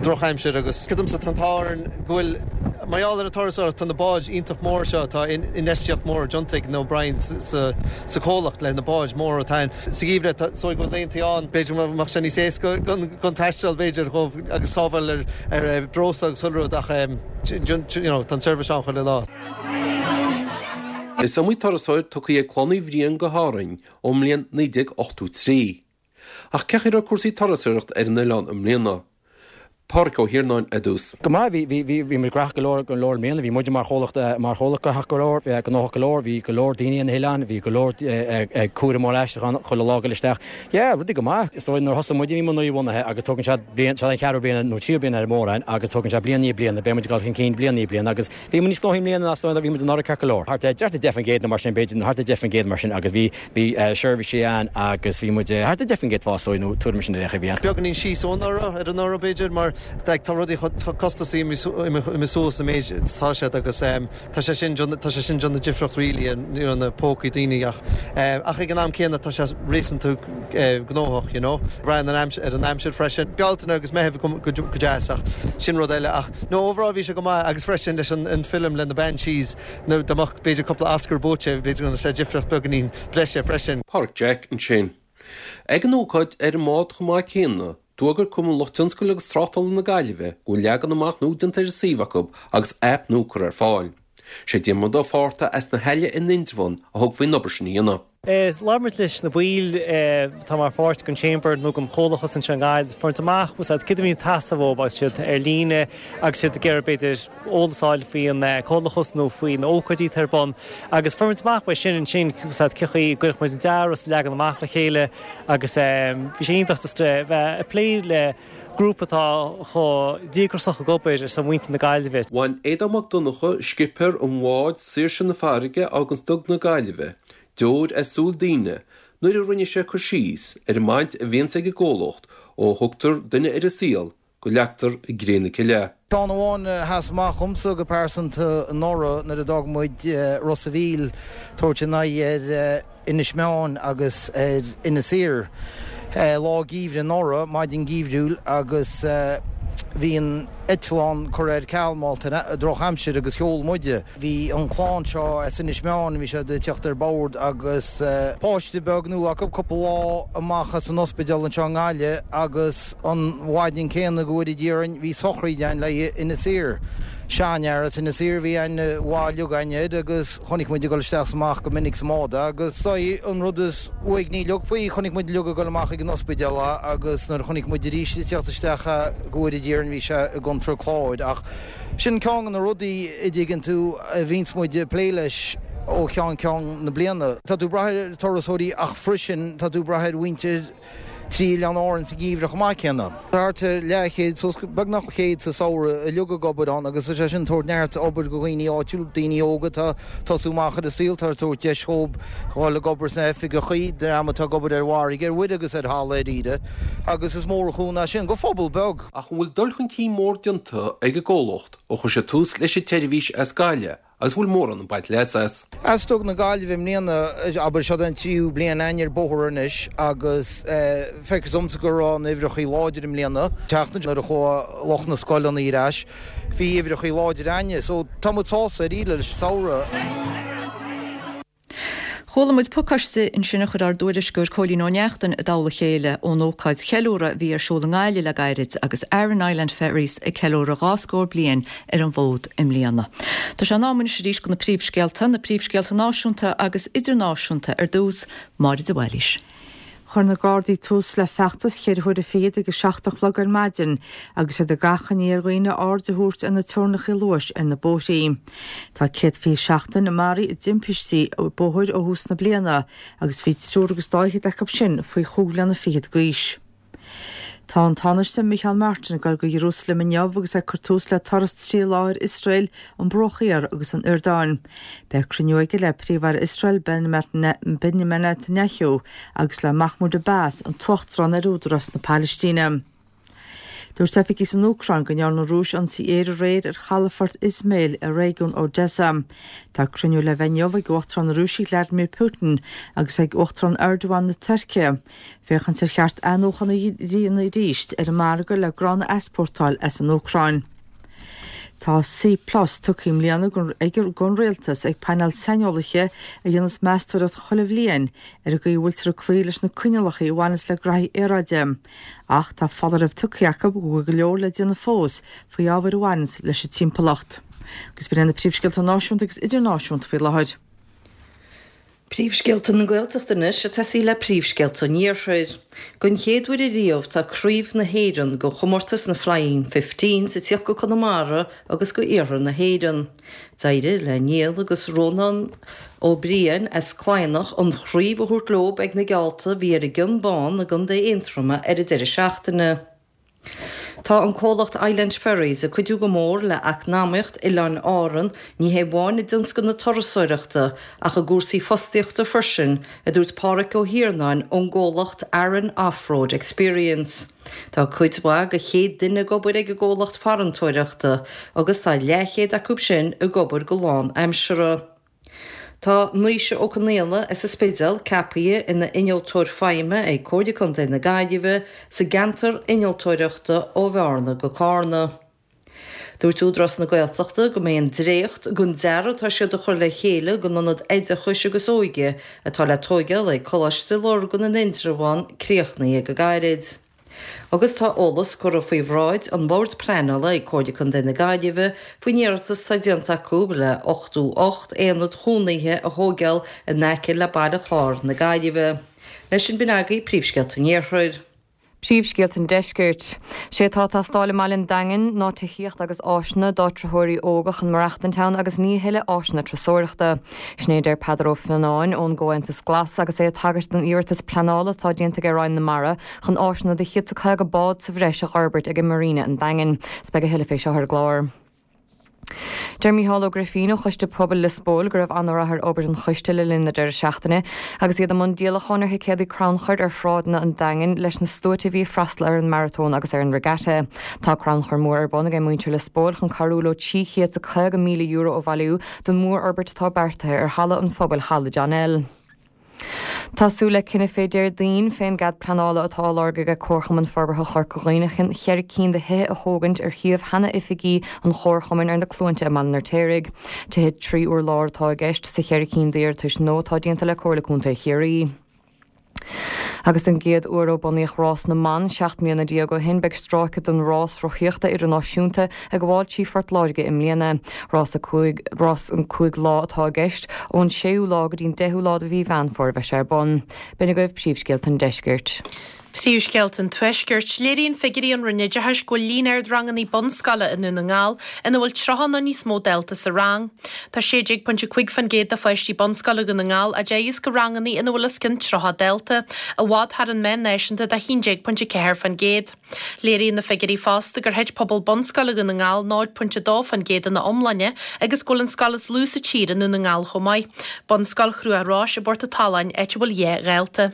S12: drochaimsir agus Domsa tá an t-ádh orainn go bhfuil mar gheall ar an turasóireacht tá na báid iontach mór seo tá infheistíocht mór déanta ag na O'Briens sa sa chomhlacht le na báid móra atá ann. Sa gheimhreadh tá so go bhfuil laethanta ann b'fhéidir go mbeadh sé níos éasca don taisteal b'fhéidir dhóibh agus sábháil ar ar breosla agus chuile rud ach you know tá an seirbhís ann chuile lá.
S10: Is iomaí turasóir tugtha ag Clann Uí Bhriain go hÁrainn ón mbliain 1983. Ach cén chaoi a raibh cúrsaí turasóireachta ar an oileán i mbliana? Pádraic Ó hIarnáin ar dtús.
S11: Go maith, bhí, bhí, bhí, bhí muid gnóthach go leor, go leor i mbliana, bhí muide mar chomhlacht, mar chomhlacht gnóthach go leor, bhí gnóthach go leor, bhí go leor daoine ar na hoileáin, bhí go leor cúram mór aistriúchán chuile lá ag dul isteach. Yeah, rudaí go maith. Is dóigh nuair a thosaigh muide bhí muid nua-bhunaithe agus tógann sé bliain, seo an cheathrú bliain nó tríú bliain ar an mórán agus tógann sé bliain i ndiaidh bliana, beidh muid ag dul chun cinn bliain i ndiaidh bliana agus Bhí muid níos gnóthaí i mbliana ná is dóigh a bhí muid anuraidh ceart go leor. Thart ar 10% nó mar sin b'fhéidir, nó thart ar 10% mar sin agus bhí, bhí seirbhísí ann agus bhí muid thart ar 10% fás dóigh nó tuairim sin ar aon chaoi a bhí ann.
S12: Beagáinín síos ó anuraidh, ar anuraidh b'fhéidir mar like tá rudaí chomh, tá costasaí imithe suas an méid atá siad agus tá sé sin, tá sé sin déanamh difríocht really in you know na pócaí daoine ach ach ag an am céanna tá sé réasúnta gnóthach you know. Braitheann an aimsir ar an aimsir freisin. Bealtaine agus Meitheamh go go deas ach sin rud eile ach no overall bhí sé go maith agus freisin leis an an film le na Banshees nó dá mbeadh b'fhéidir cúpla Oscar buaite b'fhéidir go ndéanfadh sé difríocht beagáinín breise freisin.
S10: Pádraic Jack ansin. Ag an ócáid ar an mbád chomh maith céanna, d'fhógair Cumann Lucht Tionscail agus Tráchtála na Gaillimhe go bhfuil leagan amach nua déanta ar an suíomh acu agus aip nua curtha ar fáil. Sé Diarmuid Ó Fátharta as na hAille in Indreabhán a thug faoin obair sin a dhéanamh.
S13: Labhair muid leis na baill atá mar pháirt den Chamber nó den chomhlachas anseo i nGaillimh, fuair muid amach céard a bhíonn ag teastáil uathu agus iad ar líne agus iad ag iarraidh b'fhéidir eolas a fháil faoin comhlachas nó faoi na ócáidí atá ar bun agus fuair muid amach uaidh sin ansin cén chaoi a gcuirfeadh muid an dearadh is an leagan amach le chéile agus bhí sé iontach just a bheith ag plé le grúpa atá chomh díograiseach ag obair ar son mhuintir na Gaillimhe.
S10: Bhain Aodán Mac Donncha, scipéir an bháid Saoirse na Farraige a fháganns Dug na Gaillimhe, deoir as súil daoine nuair a rinne sé cur síos ar an mbaint a bhíonns ag an gcomhlacht ó thugtar duine ar an saol go leagtar i gcré na cille é.
S14: Ceann amháin a sheas amach dhomsa go pearsanta anuraidh nuair a d'fhág muid Ros a' Mhíl tabhairt a n-aghaidh ar Inis Meáin agus ar Inis Oírr lá geimhridh anuraidh, maidin gheimhriúil agus bhí an eitleán curtha ar ceal mar gheall ar drochaimsir agus sheol muide. Bhí an chlann seo as Inis Meáin, bhí siad ag teacht ar bord agus páiste beag nua acu, cúpla lá amach as an ospidéal anseo i nGaillimh agus an mhaidin céanna go bhfóire Dia orainn bhí sochraíd ann le haghaidh Inis Oírr. Seanfhear as Inis Oírr a bhí aithne mhaith uilig againn air agus chonaic muid ag dul isteach is amach go minic sa mbád é agus is é an rud is uaigní uilig faoi, chonaic muid uilig ag dul amach ag an ospidéal é agus nuair a chonaic muid arís ag teacht isteach é go bhfóire Dia orainn bhí sé i gcontae an Chláir ach Sin ceann de na rudaí, a dtuigeann tú, a bhíonns muid ag plé leis ó cheann ceann na bliana. Tá tú ag brath ar turasóirí ach freisin tá tú ag brath ar mhuintir trí Oileáin Árann sa gheimhreadh chomh maith céanna. Tá thart ar leathchéad, suas go beagnach 100 sa samhradh uilig ag obair ann agus tá sé sin ag tabhairt neart obair do dhaoine áitiúil, daoine óga atá ag tosú amach ar an saol, tá ag tabhairt deis dhóibh dhul ag obair sna hoifigeachaí, dream atá ag obair ar bhfarraige, ar mhuir agus ar thalamh dáiríre agus is mór an chúnamh é sin go phobal beag.
S10: Ach an bhfuil dul chun cinn mór déanta ag an gcomhlacht ó chuir siad tús leis an tseirbhís as Gaillimh agus an bhfuil mórán ag baint leas as?
S14: As Dug na Gaillimhe i mbliana, abair, seo an tríú bliain againn ar bóthar anois agus feictear domsa go raibh na huimhreachaí láidir i mbliana. Seachtain nuair a chuaigh lucht na scoileanna ar ais, bhí uimhreachaí láidir againne so tá muid sásta dáiríre leis an samhradh.
S1: Chuala muid pacáiste ansin a chuir ár dtuairisceoir Cóilín Ó Neachtain i dtoll a chéile ón ócáid cheiliúrtha a bhí ar siúl i nGaillimh le gairid agus Aran Island Ferries ag ceiliúradh dhá scór bliain ar an bhfód i mbliana. Tá sé in am anois arís do na príomhscéalta, na príomhscéalta náisiúnta agus idirnáisiúnta ar dtús, Máire de Bhailís.
S2: Chuir na Gardaí tús le feachtas cheithre huaire fichead ag a 7 a chlog ar maidin agus iad ag achainí ar dhaoine aird a thabhairt ar na teorainneacha luais ar na bóithrí. Tá 127 duine maraithe i dtimpistí bóthair ó thús na bliana agus bhí triúr agus dá fhichead acu sin faoi chúig bhliana fichead d'aois. Tá an Tánaiste Micheál Martin ag dul go Ierúsalem inniu agus é ag cur tús le turas trí lá ar Iosrael, an Bruach Thiar agus an Iordáin. Beidh cruinniú aige le Príomh-Aire Iosrael Benjamin Netanyahu agus le Mahmoud Abbas, an tUachtarán ar Údarás na Palaistíne. Dúirt oifigigh san Úcráin go ndearna an Rúis ionsaí aeir aréir ar chalafort Izmail i réigiún Odesa. Tá cruinniú le bheith inniu ag Uachtarán na Rúise Vladimir Putin agus ag Uachtarán Erdogan na Tuirce féachaint ar cheart athnuachan a dhéanamh arís ar an margadh le grán a easpórtáil as an Úcráin. Tá C Plus tugtha i mbliana ag don Rialtas ag painéal saineolaithe a dhéanas meastóireacht chuile bhliain ar an gcaoi a bhfuiltear ag cloí leis na coinníollacha a bhaineas le graithí aeráide. Ach tá foláireamh tugtha acu go bhfuil go leor le déanamh fós faoi ábhair a bhaineas leis an timpeallacht. Agus b'in iad na príomhscéalta náisiúnta agus idirnáisiúnta faoi láthair.
S3: Príomhscéalta na Gaeltachta anois ag tosaí le príomhscéalta an Iarthair. Don chéad uair ariamh tá Craobh na hÉireann go chomórtas na Flying Fifteens ag tíocht go Conamara agus go Iarthar na hÉireann. D'éirigh le Niall agus Rónán Ó Briain as Cladhnach an chraobh a thabhairt leob ag na geallta a bhí ar an gCionn Bán i gContae Aontroma ar an deireadh seachtaine. Tá an comhlacht Island Ferries ag cuidiú go mór le eacnamaíocht Oileáin Árann, ní hé amháin i dtionscal na turasóireachta ach i gcúrsaí fostaíochta freisin, a dúirt Páraic Ó hIarnáin ón gcomhlacht Aran Off-Road Experience. Tá cuid mhaith de 100 duine ag obair ag an gcomhlacht farantóireachta agus tá leathchéad acu sin ag obair go lán-aimseartha. Tá Naoise Ó Conaola as an Spidéal ceapaithe ina Innealtóir Feidhme ag Comhairle Contae na Gaillimhe sa gceantar innealtóireachta ó Bhearna go Carna. Dúirt Údarás na Gaeltachta go mbeidh an dréacht den dearadh atá siad a chur le chéile don ionad oideachais agus óige atá le tóigeáil ag Coláiste Lurgan in Indreabhán críochnaithe go gairid. Agus tá eolas curtha faoi bhráid an Bhoird Pleanála ag Comhairle Contae na Gaillimhe faoin iarratas atá déanta acu le 88 aonad chónaithe a thóigeáil in aice le Baile Chláir na Gaillimhe. Leis sin b'in agaibh príomhscéalta an Iarthair.
S4: Príomhscéalta an Deiscirt. Sé atá ag teastáil i mbaile an Daingin ná tithíocht agus áiseanna d'áitritheoirí óga chun maireachtaint ann agus ní a thuilleadh áiseanna turasóireachta. Sin é a deir Peadar Ó Fionnáin ón gComhaontas Glas agus é ag tagairt don iarratas pleanála atá déanta ag Roinn na Mara chun áiseanna do 150 bád sa bhreis a dh'fhorbairt ag Marina an Daingin. 'S beidh a thuilleadh fé seo ar an gclár. Deir Micheál Ó Grifín ó Choiste Pobail Lios Póil go raibh an-rath ar obair an choiste le linn na deireadh seachtaine agus iad i mbun díolacháin ar thicéadaí crannchuir ar shráideanna an Daingin leis na sluaite a bhí ag freastal ar an Maratón agus ar an Regatta. Tá crannchur mór ar bun ag muintir Lios Póil chun cabhrú leo €350,000 a bhailiú don mhórfhorbairt atá beartaithe ar Halla an Phobail Halla John L. Tá súil le cinneadh fé Déardaoin fén gcead pleanála atá á lorg aige Comharchumann Forbartha Chorca Dhuibhne chun cheithre cinn de thithe a thógaint ar shuíomh sheana oifigí an Chomharchumainn ar na Cluainte i mBaile an Fheirtéaraigh. Tithe 3 urlár atá i gceist sa cheithre cinn d'iarratais nua atá déanta le Comhairle Contae Chiarraí. Agus den gcéad uair ó bunaíodh Rás na mBan 17 mbliana ó shin, beidh stráice den rás rothaíochta idirnáisiúnta ag gabháil trí Phort Láirge i mbliana. Rás 5, rás an 5 lá atá i gceist, ón 6ú lá go dtí'n 10ú lá de mhí Mheán Fómhair a bheidh sé ar bun. B'in agaibh príomhscéalta an deiscirt.
S5: Príomhscéalta an Tuaiscirt. Léiríonn figiúirí ón Roinn Oideachais go bhfuil líon ard ranganna bunscoile i nDún na nGall ina bhfuil 30 nó níos mó dalta sa rang. Tá 16.5% de pháistí bunscoile Dhún na nGall á dteagasc i ranganna ina bhfuil os cionn 30 dalta, i bhfad thar an meán náisiúnta de 11.4%. Léiríonn na figiúirí fosta gur thit pobal bunscoile Dhún na nGall 0.2% ina iomláine agus go bhfuil an scoil is lú sa tír i Ndún na nGall chomh maith, Bunscoil Chruach Rois i bPort an tSaláin, áit a bhfuil 2 dhalta.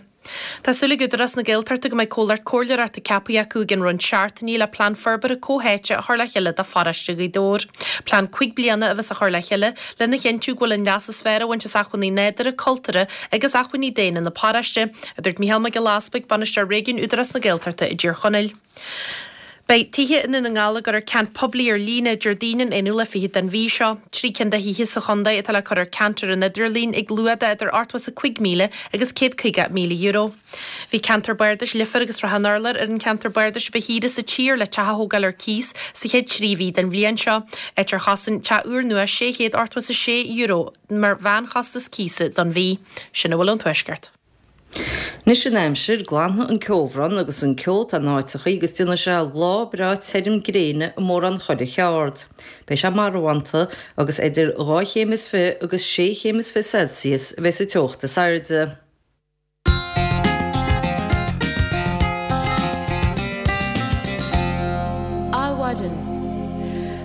S5: Tá súil ag Údarás na Gaeltachta go mbeidh comhlacht comhairleoireachta ceaptha acu i gcionn roinnt seachtainí le plean forbartha comhtháite a chur le chéile do pharóiste Ghaoth Dobhair. Plean 5 bliana a bheas á chur le chéile lena chinntiú go bhfuil an leas is fearr á bhaint as acmhainní nádúrtha, cultúrtha agus acmhainní daonna na paróiste, a dúirt Micheál Mac Giolla Easpaig, Bainisteoir Réigiúin Údarás na Gaeltachta i dTír Chonaill. Beidh tithe i nDún na nGall á gcur ar ceant poiblí ar líne Déardaoin an 21ú den mhí seo. 3 cinn de thithe sa chontae atá le cur ar ceant ar an idirlíon ag luach de idir €85,000 agus €150,000. Bhí ceantar bardais Leifear agus Srath an Urláir ar an cheantar bardais a ba shaoire sa tír le teach a thógáil ar cíos sa chéad 3 mhí den bhliain seo, áit ar chosain teach úrnua €686 mar mheánchostas cíosa don mhí. Sin a bhfuil ón Tuaisceart.
S3: Anois an aimsir, glanfaidh an ceobhrán agus an ceo atá in áiteachaí agus déanfaidh sé lá breá tirim gréine i mórán chuile cheard. Beidh sé marbhánta agus idir dhá chéim is fi agus sé chéim is fi Celsius a bheidh sa teocht is airde.
S1: Adhmhaidin.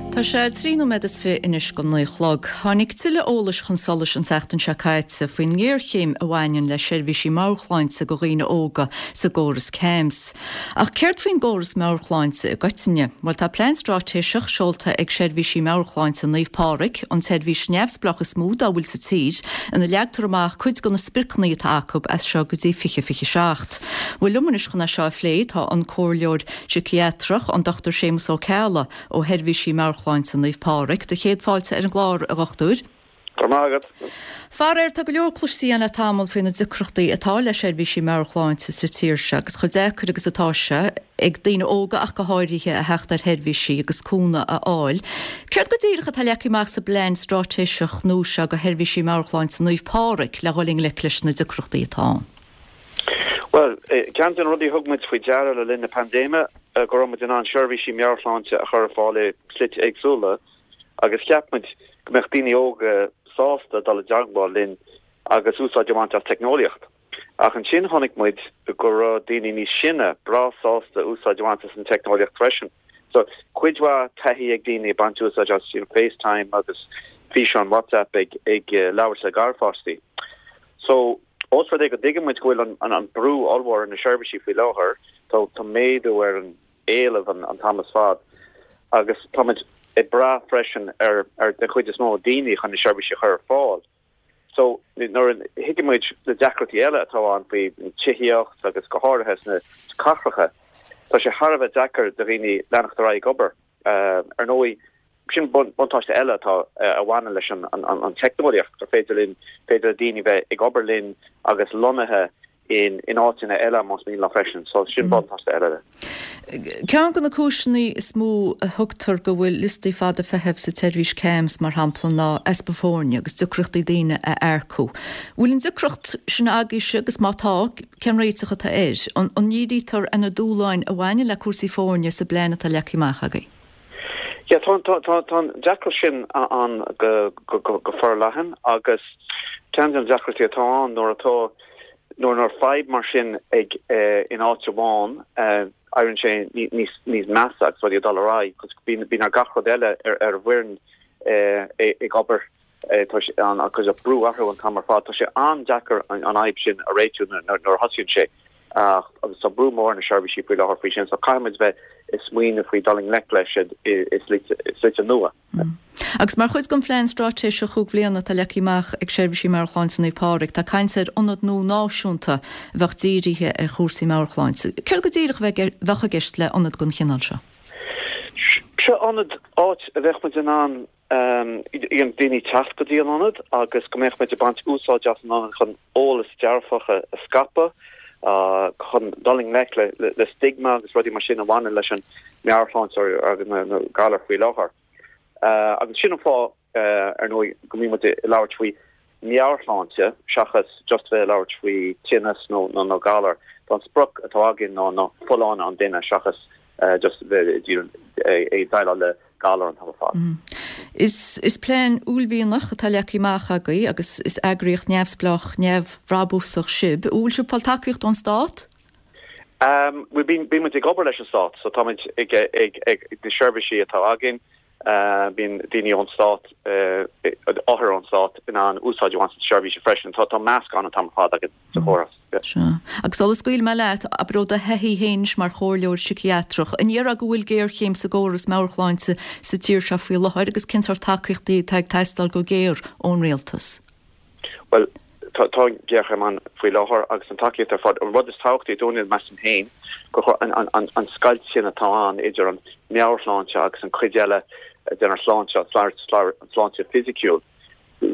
S1: Tá sé 23 nóiméad anois go 9 a chlog. Tháinig tuilleadh eolais chun solais an tseachtain seo caite faoin ngéarchéim a bhaineann le seirbhísí meabhairshláinte do dhaoine óga sa gcóras CAMHS. Ach céard faoin gcóras meabhairshláinte i gcoitinne? Bhuel, tá plean straitéiseach seolta ag Seirbhísí Meabhairshláinte Naomh Pádraig, an tseirbhís neamhspleách is mó dá bhfuil sa tír, ina leagtar amach cuid de na spriocanna atá acu as seo go dtí 2027. Bhuel, liom anois chun é seo a phlé tá an Comhairleoir Síciatrach, an Dr Séamus Ó Ceallaigh, ó Sheirbhísí Meabhairshláinte Naomh Pádraig. Do chéad fáilte ar an gclár, a Dhochtúir.
S15: Go raibh maith agat.
S1: Faraor, tá go leor cloiste againn le tamall faoi na deacrachtaí atá le seirbhísí meabhairshláinte sa tír seo agus chomh deacair agus atá sé, ag daoine óga ach go háirithe, a theacht ar sheirbhísí agus cúnamh a fháil. Céard go díreach atá leagtha amach sa bplean straitéiseach nua seo do Sheirbhísí Meabhairshláinte Naomh Pádraig le dhul i ngleic leis na deacrachtaí atá ann?
S15: Bhuel, ceann de na rudaí a thug muid faoi deara le linn na paindéime, go raibh muid in ann seirbhísí meabhairshláinte a chur ar fáil i slite éagsúla agus cheap muid go mbeadh daoine óga sásta dul i dteagmháil linn agus úsáid a bhaint as teicneolaíocht. Ach ansin chonaic muid go raibh daoine níos sine breá sásta úsáid a bhaint as an teicneolaíocht freisin. So, cuid mhaith taithí ag daoine ag baint úsáid as you know, FaceTime agus físeáin WhatsApp ag, ag labhairt le garpháistí. So, ós rud é go dtuigeann muid go bhfuil an, an brú ollmhór ar na seirbhísí faoi láthair, tá, tá méadú ar an éileamh an, an t-am is fad agus tá muid ag brath freisin ar, ar den chuid is mó daoine chun na seirbhísí a chur ar fáil. So, nuair a thuigeann muid na deacrachtaí eile atá ann faoi tithíocht agus go háirithe sna cathracha, tá sé thar a bheith deacair do dhaoine leanacht ar aghaidh ag obair. Ar ndóigh, Sin buntáiste eile atá a bhaineann leis an teicneolaíocht, gur féidir linn, féidir le daoine bheith ag obair linn agus lonnaithe in áiteanna eile más mian leo freisin. So sin buntáiste eile de.
S1: Ceann de na cúiseanna is mó a thugtar go bhfuil liostaí fada feithimh sa tseirbhís CAMHS, mar shampla, ná easpa foirne agus deacrachtaí daoine a earcú. Bhfuil an deacracht sin agaibhse agus má tá, cén réiteach atá air? An ndírítear ar na dúshláin a bhaineann le cúrsaí foirne sa bplean atá leagtha amach agaibh?
S15: Yeah, tá, tá, tá, tá an deacracht sin ann go, go, go, go forleathan agus ceann de na deacrachtaí atá ann nuair atá, nuair, nuair fadhb mar sin ag, eh, in áit amháin, eh, éiríonn sé níos, níos measa agus rudaí ag dul ar aghaidh, cos bíonn, bíonn ar gach rud eile ar, ar an bhfoireann, eh, ag obair, eh, tá sé an, agus brú orthu an t-am ar fad. Tá sé an-deacair an, an fhadhb sin a réitiú nuair, nuair a thosaíonn sé. Ach agus tá brú mór ar na seirbhísí faoi láthair faoi sin, so caithfidh muid bheith ag smaoineamh faoi dul i ngleic leis i slite nua.
S1: Agus mar chuid den phlean straitéiseach chúig bhliana atá leagtha amach ag Seirbhísí Meabhairshláinte Naomh Pádraig, tá caint ar ionad nua náisiúnta a bheadh dírithe ar chúrsaí meabhairshláinte. Céard go díreach a bheadh i gceist le ionad den chineál seo?
S15: Seo ionad, áit a bheadh muid in ann daoine teacht go dtí an ionad agus go mbeadh muid ag baint úsáid as an ionad chun eolas dearfach a scaipeadh, chun dul i ngleic le stigma agus rudaí mar sin a bhaineann leis an meabhairshláinte agus na galair faoi láthair. Agus sin an fáth, ar ndóigh, go mbíonn muid ag labhairt faoi meabhairshláinte seachas just bheith ag labhairt faoi tinneas nó nó galar. Tá an sprioc atá againn ná ná folláine an duine seachas just bheith ag déileáil le galar an t-am ar fad.
S1: Is is plean uaillmhianach atá leagtha amach agaibh agus is eagraíocht neamhspleách neamhbhrabúsach sibh. An bhfuil sibh ag fáil tacaíocht ón stát?
S15: Bhuel bíonn bíonn muid ag obair leis an stát so táimid ag ag ag na seirbhísí atá againn Bíonn daoine ón stát, othair ón stát in ann úsáid a bhaint as na seirbhísí freisin. Tá meascán an t-am ar fad againn sa chóras.
S1: Sea. Agus sula scaoilfidh mé leat, abair ó do thaithí féin anois mar chomhairleoir siciathrach, an ndéarfá go bhfuil géarchéim sa gcóras meabhairshláinte sa tír seo faoi láthair agus cén sórt tacaíochtaí atá ag teastáil go géar ón rialtas?
S15: Bhuel, tá géarchéim ann faoi láthair agus an tacaíocht ar fad. An rud is tábhachtaí dúinne, measaim féin, gur chóir an scoilt sin atá ann idir an meabhairshláinte agus an cuid eile den sláinte, an sláinte fisiciúil,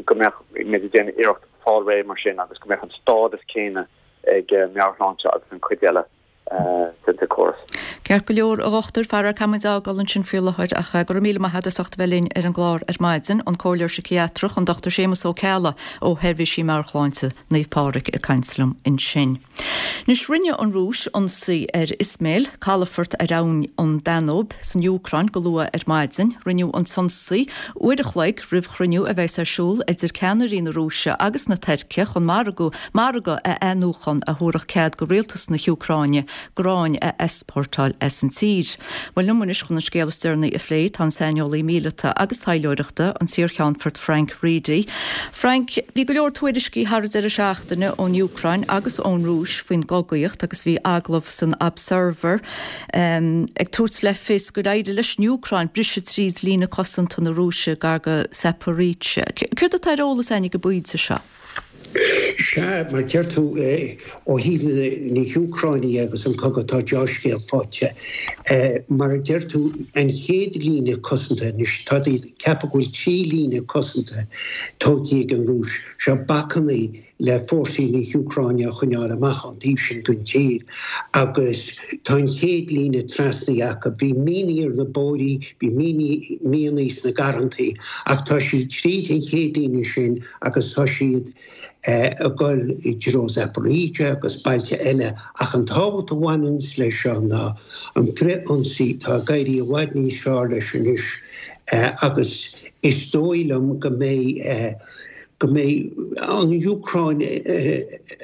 S15: go mbeadh muid ag déanamh iarracht fáil réidh mar sin agus go mbeadh an stádas céanna ag meabhairshláinte agus an cuid eile. den chóras.
S1: Ceart go leor, a dhochtúir, faraor caithfidh muid a fhágáil ansin faoi láthair ach go raibh míle maith agat as ucht a bheith linn ar an gclár ar maidin, an Comhairleoir Siciathrach, an Dr Séamus Ó Ceallaigh ó Sheirbhísí Meabhairshláinte Naomh Pádraig ag caint liom ansin. Anois, rinne an Rúis ionsaí ar Izmail, calafort ar abhainn an Danóib san Úcráin go luath ar maidin. Rinneadh an t-ionsaí uair a chloig roimh chruinniú a bheas ar siúl idir ceannairí na Rúise agus na Tuirce chun margadh Margadh a athnuachan a thabharfadh cead go rialtas na hÚcráine gráin a easpórtáil as an tír. Bhuel, liom anois chun an scéal is deireanaí a phlé tá an saineolaí míleata agus taidhleoireachta, an t-iarCheannfort Frank Reidy. Frank, bhí go leor tuairiscí thar an deireadh seachtaine ón Úcráin agus ón Rúis faoin gcogaíocht agus bhí agallamh san Observer ag tabhairt le fios gur éirigh leis an Úcráin briseadh tríd líne cosanta na Rúise gar go Zaporizhzhia. Céard atá ar eolas againn ag an bpointe seo?
S16: Sea, mar a deir tú, ó thaobh na hÚcráine agus an cogadh, tá deá-scéal faighte. Mar a deir tú, an chéad líne cosanta anois, tá ag ceapadh go bhfuil 3 líne cosanta tógtha ag an Rúis. Seo bacannaí le fórsaí na hÚcráine a choinneáil amach ón taobh sin den tír. Agus tá an chéad líne trasnaithe acu. Bhí mianaigh ar na bóithrí, bhí mianaigh sna garrantaí, ach tá siad tríd an chéad líne sin agus tá siad ag dul i dtreo Zaporizhzhia agus bailte eile ach an tábhacht a bhaineanns leis seo ná an frith-ionsaí, tá ag éirí i bhfad níos fearr leis anois agus is dóigh liom go mbeidh go mbeidh an Úcráin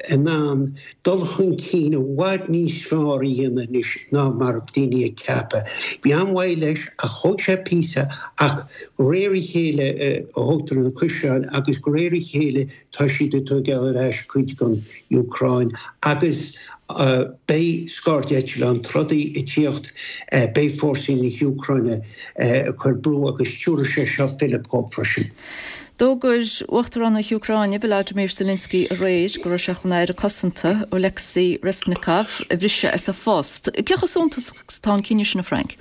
S16: in ann dul chun cinn i bhfad níos fearr a dhéanamh anois ná mar a bhí daoine ag ceapadh. Bhí an-mhoill leis ach thóg sé píosa ach De réir a chéile a thógtar na caisleáin agus de réir a chéile tá siad ag tógáil ar ais cuid den Úcráin agus beidh scairdeitleáin troda ag tíocht, beidh fórsaí na hÚcráine ag cur brú agus tabharfaidh sé seo fillip dhóibh freisin.
S1: D'fhógair Uachtarán na hÚcráine, Volodymyr Zelensky aréir go raibh sé chun a Aire Cosanta, Oleksiy Reznikov, a bhriseadh as a phost. Cé chomh suntasach is atá an cinneadh sin, a Frank?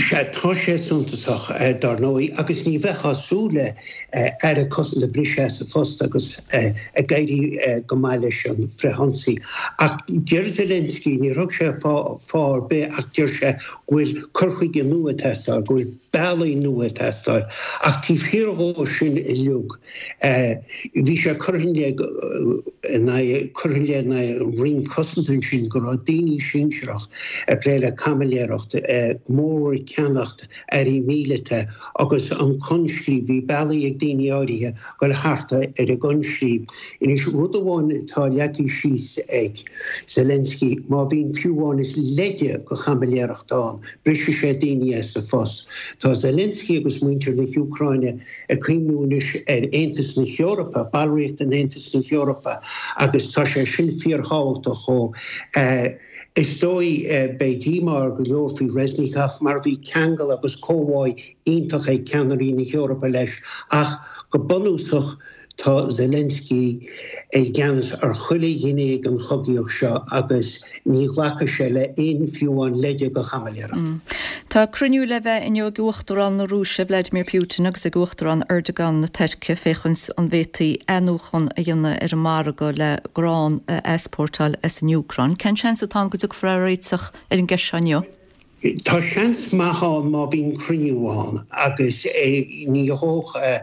S16: Sea, tá sé suntasach, dar ndóigh, agus ní bheifeá ag súil le Aire Cosanta a bhriseadh as a phost agus ag éirí go maith leis an frithionsaí. Ach deir Zelensky, níor thug sé fáth ar bith ach deir sé go bhfuil cur chuige nua ag teastáil, go bhfuil bealaí nua ag teastáil. Ach taobh thiar dhó sin uilig, bhí sé curtha in aghaidh, curtha in aghaidh an Roinn Cosanta ansin go raibh daoine sinsearach ag plé le caimiléireacht, go mór ag ceannacht earraí míleata agus an coinscríobh, bhí bealaí ag daoine áirithe dul thart ar an gcoinscríobh. Anois, rud amháin atá leagtha síos ag Zelensky, má bhíonn fiú amháin is leide de chaimiléireacht ann, brisfidh sé daoine as a phost. Tá Zelensky agus muintir na hÚcráine ag cuimhniú anois ar Aontas na hEorpa, ballraíocht in Aontas na hEorpa, agus tá sé sin fíorthábhachtach dhó. Is dóigh, beidh díomá ar go leor faoi Reznikov mar bhí ceangal agus comhbhá iontach ag ceannairí na hEorpa leis ach go bunúsach tá Zelensky i gceannas ar chuile ghné den chogaíocht seo agus ní ghlacfaidh sé le aon fiú amháin leide de chaimiléireacht.
S1: Tá cruinniú le bheith inniu ag Uachtarán na Rúise Vladimir Putin agus ag Uachtarán Erdogan na Tuirce féachaint an bhféadfaí athnuachan a dhéanamh ar an margadh le grán a easpórtáil as an Úcráin. Cén seans atá ann go dtiocfar ar réiteach ar an gceist seo inniu?
S16: Tá seans maith ann má bhíonn cruinniú ann agus ní thiocfadh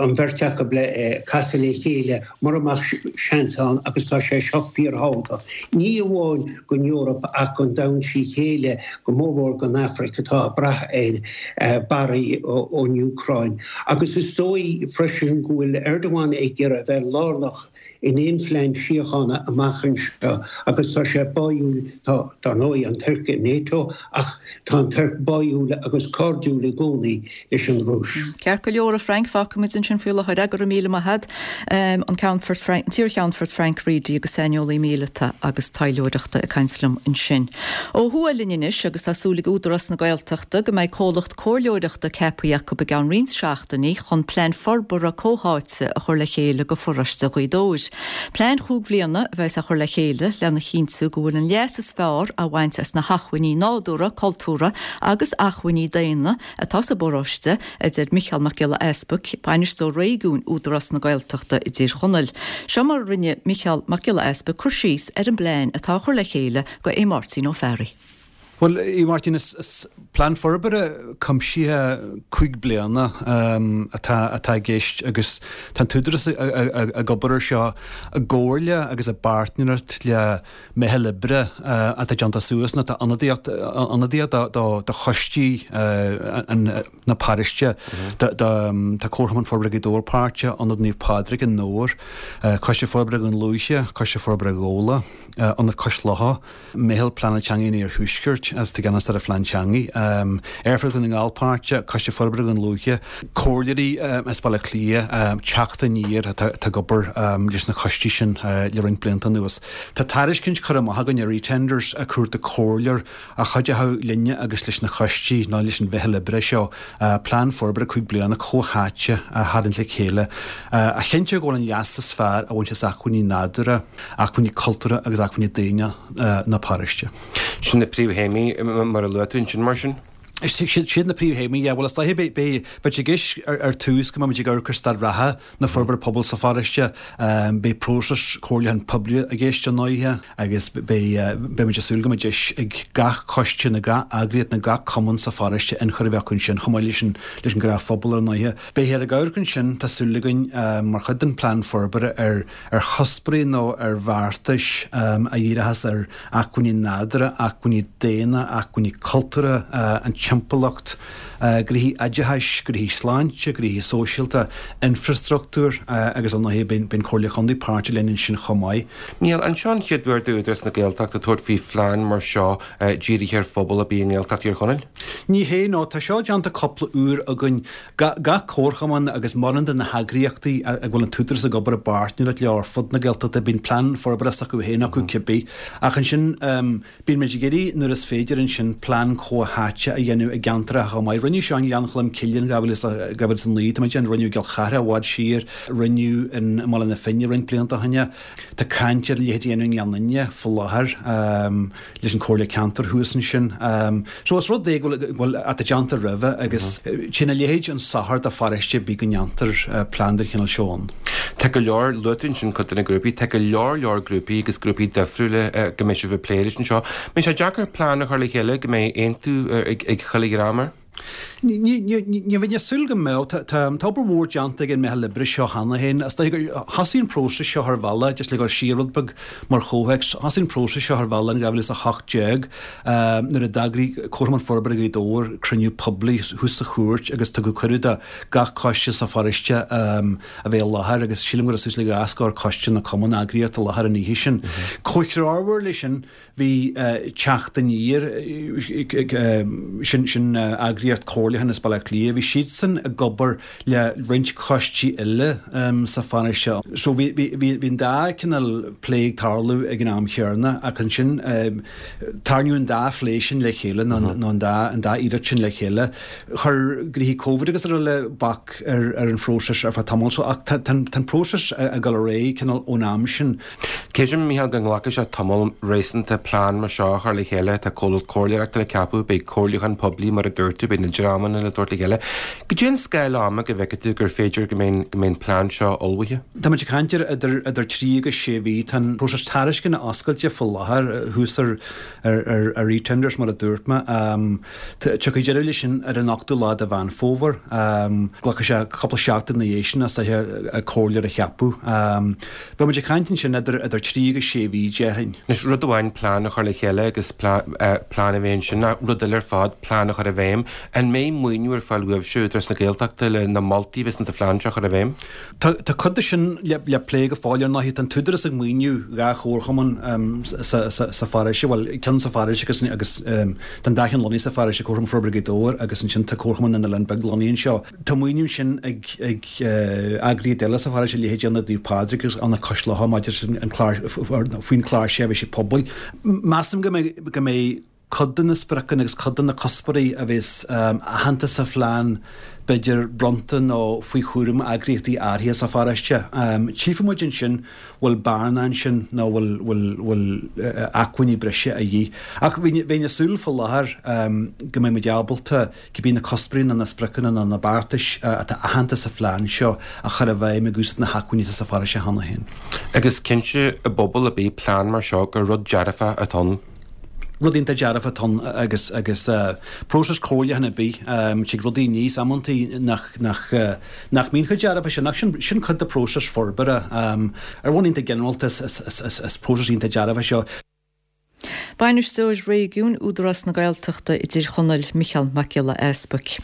S16: an bheirt acu le casadh le chéile mura mbeadh seans ann agus tá sé seo fíorthábhachtach, ní amháin don Eoraip ach don domhan trí chéile, go mórmhór don Afraic atá ag brath ar barraí ón Úcráin. Agus is dóigh freisin go bhfuil Erdogan ag iarraidh a bheith lárnach in aon phlean síochána amach anseo agus tá sé báúil, tá, dar ndóigh, an Tuirc i NATO ach tá an Tuirc báúil agus cairdiúil i gcónaí leis an Rúis.
S1: Ceart go leor, a Frank, fágfaimid ansin faoi láthair é. Go raibh míle maith agat. An Ceannfort Frank, an t-iar-Cheannfort Frank Reidy agus saineolaí míleata agus taidhleoireachta ag caint liom ansin. Ó thuaidh linn anois agus tá súil ag Údarás na Gaeltachta go mbeidh comhlacht comhairleoireachta ceaptha acu i gceann roinnt seachtainí chun plean forbartha comhtháite a chur le chéile do pharóiste Ghaoth Dobhair. Plean chúig bhliana a bheas á chur le chéile lena chinntiú go bhfuil an leas is fearr á bhaint as na hacmhainní nádúrtha, cultúrtha agus acmhainní daonna atá sa bparóiste, a deir Micheál Mac Giolla Easbuic, Bainisteoir Réigiúin Údarás na Gaeltachta i dTír Chonaill. Seo mar a rinne Micheál Mac Giolla Easbuic cur síos ar an bplean atá á chur le chéile do Aodh Máirtín Ó Fearraigh.
S17: Bhuel, a Mháirtín, is plean forbartha cuimsithe 5 bliana atá atá i gceist agus tá an tÚdarás ag obair air seo i gcomhairle agus i bpáirtnéireacht le meitheal oibre atá déanta suas nó atá ionadaíocht ionadaíoch do choistí na paróiste. Tá Comharchumann Forbartha Ghaoth Dobhair páirteach, Ionad Naomh Pádraig i nDobhar, Coiste Forbartha Dhún Lúiche, Coiste Forbartha Ghabhla, Ionad Cois Locha, Meitheal Pleanála Teanga an Iarthuaiscirt, atá i gceannas ar an Phlean Teanga, Aerfort Dhún na nGall páirteach, Coiste Forbartha Dhún Lúiche, comhairleoirí as Baile Átha Cliath, Teacht Aniar atá ag obair leis na coistí sin le roinnt blianta anuas. Tá tairiscint curtha amach againn ar eTenders ag cuartú comhairleoir a chuideoidh linne agus leis na coistí nó leis an mheitheal oibre seo plean forbartha 5 bliana comhtháite a tharraingt le chéile a chinnteoidh go bhfuil an leas is fearr á bhaint as acmhainní nádúrtha, acmhainní cultúrtha agus acmhainní daonna na paróiste.
S10: Sin na príomhthéamaí mar a luaigh tú ansin mar sin?
S17: Siad na príomhthéamaí, yeah. Bhuel is dóiche beidh beidh sé i gceist ar tús go mbeimid ag amharc ar staid reatha na forbartha pobail sa pharóiste. Beidh próiseas comhairliúcháin poiblí i gceist ar ndóighe agus beidh beimid ag súil go mbeidh deis ag gach coiste nó gach eagraíocht nó gach cumann sa pharóiste ionchur a bheith acu ansin chomh maith leis an leis an ngnáthphobal ar ndóighe. Beifear ag amharc ansin, tá súil againn, mar chuid den phlean forbartha ar ar chuspóirí nó ar bheartais a dhíreochas ar acmhainní nádúrtha, acmhainní daonna, acmhainní cultúrtha, an timpeallacht, gnoithí oideachais, gnoithí sláinte, gnoithí sóisialta, infreastruchtúr agus ar ndóighe beidh an Comhairle Chontae páirteach linn ansin
S10: chomh maith. Micheál, an seo an chéad uair d'Údarás na Gaeltachta tabhairt faoi phlean mar seo dírithe ar phobal ar bith i nGaeltacht Thír Chonaill?
S17: Ní hé, no, tá seo déanta cúpla uair againn. Gach comharchumann agus mórán de na heagraíochtaí a bhfuil an tÚdarás ag obair i bpáirtnéireacht leo ar fud na Gaeltachta, bíonn plean forbartha s'acu féin acu cibé. Ach ansin, bíonn muid ag iarraidh nuair is féidir ansin plean comhtháite a dhéanamh. dhéanamh i gceantracha chomh maith. Rinneadh seo i nGleann Cholm Cille in 2009, tá mé ag déanamh, rinneadh i gCill Chartha i bhfad siar, rinneadh i mBaile na Finne roinnt blianta ó shin. Tá caint ar a leithéid a dhéanamh i nGleann Fhinne faoi láthair leis an Comhairle Ceantair thuas ansin. So is rud é go bhfuil, atá déanta roimhe agus téann a leithéid chun sochair do pharóiste ar bith go ndéantar plean den chineál seo ann.
S10: Tá go leor, luaigh tú ansin cuid de na grúpaí, tá go leor leor grúpaí agus grúpaí difriúla go mbeidh sibh ag plé leis anseo. Mbeidh sé deacair plean a chur le chéile go mbeidh aontú ag chuile dhream air?
S17: Ní bheinn ag súil go mbeadh. Tá obair mhór déanta ag an meitheal oibre seo cheana féin. Is dóigh gur thosaigh an próiseas seo ar bhealach, just le dhul siar rud beag mar chomhthéacs, thosaigh an próiseas seo ar bhealach in 2018 nuair a d'eagraigh Comharchumann Forbartha Ghaoth Dobhair cruinniú poiblí thuas sa chúirt agus tugadh cuireadh do gach coiste sa pharóiste a bheith i láthair agus sílim go raibh suas le dhá scór coiste nó cumann eagraíocht i láthair an oíche sin. Comhthreomhar leis sin, Bhí Teacht Aniar, sin sin eagraíocht comhairliúcháin as Baile Átha Cliath, bhí siadsan ag obair le roinnt coistí eile sa pharóiste. So bhí bhí bhí an dá cineál plé ag tarlú ag an am chéanna ach ansin tarraingíodh an dá phlé sin le chéile nó an dá an dá iarracht sin le chéile. Chuir gnoithí Covid agus araile bac ar ar an phróiseas ar feadh tamaill so ach tá tá an próiseas ag dul ar aghaidh cineál ón am sin.
S10: Creidim, Micheál, go nglacfaidh sé tamall réasúnta plean mar seo a chur le chéile. Tá comhlacht comhairleoireachta le ceapadh, beidh comhairliúchán poiblí mar a dúirt tú, beidh na dreamanna le tabhairt le chéile. Cad é an scála ama go bhfeicfidh tú gur féidir go mbeidh an plean seo ullmhaithe?
S17: Tá muid ag caint ar idir trí agus sé mhí. Tá an próiseas tairisceana oscailte faoi láthair thuas ar ar eTenders mar a dúirt mé. Tiocfaidh deireadh leis sin ar an ochtú lá de Mheán Fómhair. Glacfaidh sé cúpla seachtain ina dhiaidh sin is dóiche comhairleoir a cheapadh. Beidh muid ag caint ansin idir idir trí agus sé mhí, déarfainn.
S10: Anois, rud amháin plean a chur le chéile agus plean a bheith ansin, ach rud eile ar fad plean a chur i bhfeidhm. An mbeidh maoiniú ar fáil uaibhse, Údarás na Gaeltachta, le na moltaí a bheas sa phlean seo a chur i bhfeidhm?
S17: Tá tá cuid de sin le le plé go fóill. Ar ndóigh, tá an tÚdarás ag maoiniú dhá chomharchumann sa sa sa pharóiste, bhuel, ceann sa pharóiste agus agus tá an dá cheann lonnaithe sa pharóiste, Comharchumann Forbartha Ghaoth Dobhair agus ansin tá Comharchumann na nOileán Beag lonnaithe anseo. Tá maoiniú ansin ag eagraíocht eile sa pharóiste, leithéidí Ionad Naomh Pádraig agus Ionad Cois Locha maidir leis an clár, faoin chlár seirbhísí pobail. Measaim go mbeidh go mbeidh cuid de na spriocanna agus cuid de na cuspóirí a bheas aitheanta sa phlean b'fhéidir bronnta nó faoi chúram eagraíochtaí áirithe sa pharóiste. Tchífidh muid ansin bhfuil bearna ansin nó bhfuil bhfuil bhfuil acmhainní breise a dhíth. Ach bheinn ag súil faoi láthair go mbeidh muid ábalta cibé na cuspóirí nó na spriocanna nó na beartais atá aitheanta sa phlean seo a chur i bhfeidhm ag úsáid na hacmhainní atá sa pharóiste cheana féin.
S10: Agus cinnte i bpobal ar bith plean mar seo gur rud dearfach atá ann.
S17: Rud iontach dearfach atá ann agus agus próiseas comhairliúcháin ar bith, tig rudaí aníos amantaí nach nach nach mbíonn chomh dearfach sin ach sin sin cuid de próiseas forbartha. Ar bhonn iontach ginearálta is is is is próiseas iontach dearfach é seo.
S1: Bainisteoir Réigiúin Údarás na Gaeltachta i dTír Chonaill, Micheál Mac Giolla Easbuic.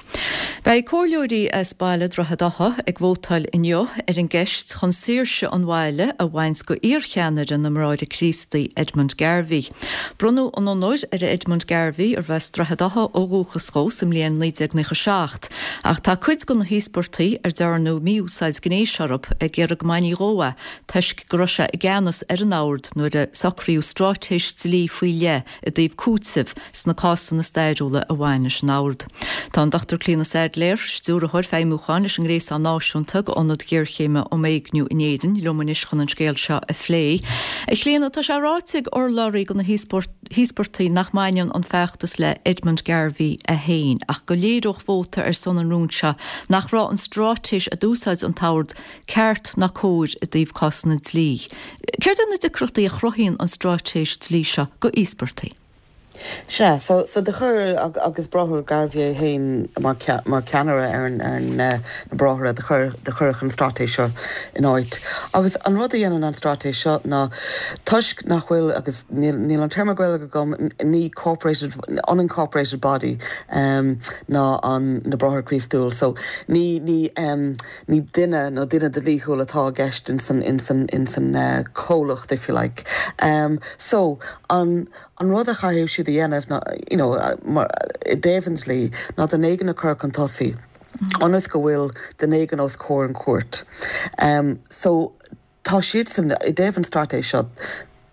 S1: Beidh comhairleoirí as baile Droichead Átha ag vótáil inniu ar an gceist chun saoirse an bhaile a bhaint go iarcheannaire na mBráithre Críostaí, Edmund Garvey. Bronnadh an onóir ar Edmund Garvey, arbh as Droichead Átha ó dhúchas dhó, sa mbliain 1997 ach tá cuid de na híospartaigh ar dearnadh mí-úsáid gnéis orthu ag iarraidh go mbainfí dhó é toisc go raibh sé i gceannas ar an ord nuair a socraíodh straitéis dlí faoi leith i dtaobh cúitimh sna cásanna stairiúla a bhain leis an ord. Tá an Dr Clíona Saidléar, Stiúrthóir Feidhmiúcháin leis an nGréasán Náisiúnta d'Ionaid Ghéarchéime um Éigniú in Éirinn, liom anois chun an scéal seo a phlé. A Chlíona, tá sé ráite ag urlabhraí do na híospartaigh nach mbaineann an feachtas le Edmund Garvey é féin ach go léireodh vóta ar son an rúin seo nach raibh an straitéis a d'úsáid an t-ord ceart ná cóir i dtaobh cásanna dlí. Céard iad na deacrachtaí a chruthaíonn an straitéis dlí seo go íospartaigh?
S18: Sea, so, so do chuir, agus Bráthair Garvey é féin mar, mar cheannaire ar an, ar na Bráithre, do chuir, do cuireadh an straitéis seo in áit. Agus an rud a dhéanann an straitéis seo ná, toisc nach bhfuil, agus níl, níl an téarma Gaeilge agam, ní corporated, unincorporated body, ná an, na Bráithre Críostúil, so ní, ní, Ní duine nó duine dlíthiúil atá i gceist ins an, ins an, ins an comhlacht if you like. So, an, an rud a chaithfidh siad a dhéanamh ná, you know, mar, i dtaobh an dlí, ná duine éigin a chur chun tosaigh ionas go bhfuil duine éigin os comhair an chúirt. So, tá siadsan, i dtaobh an straitéis seo,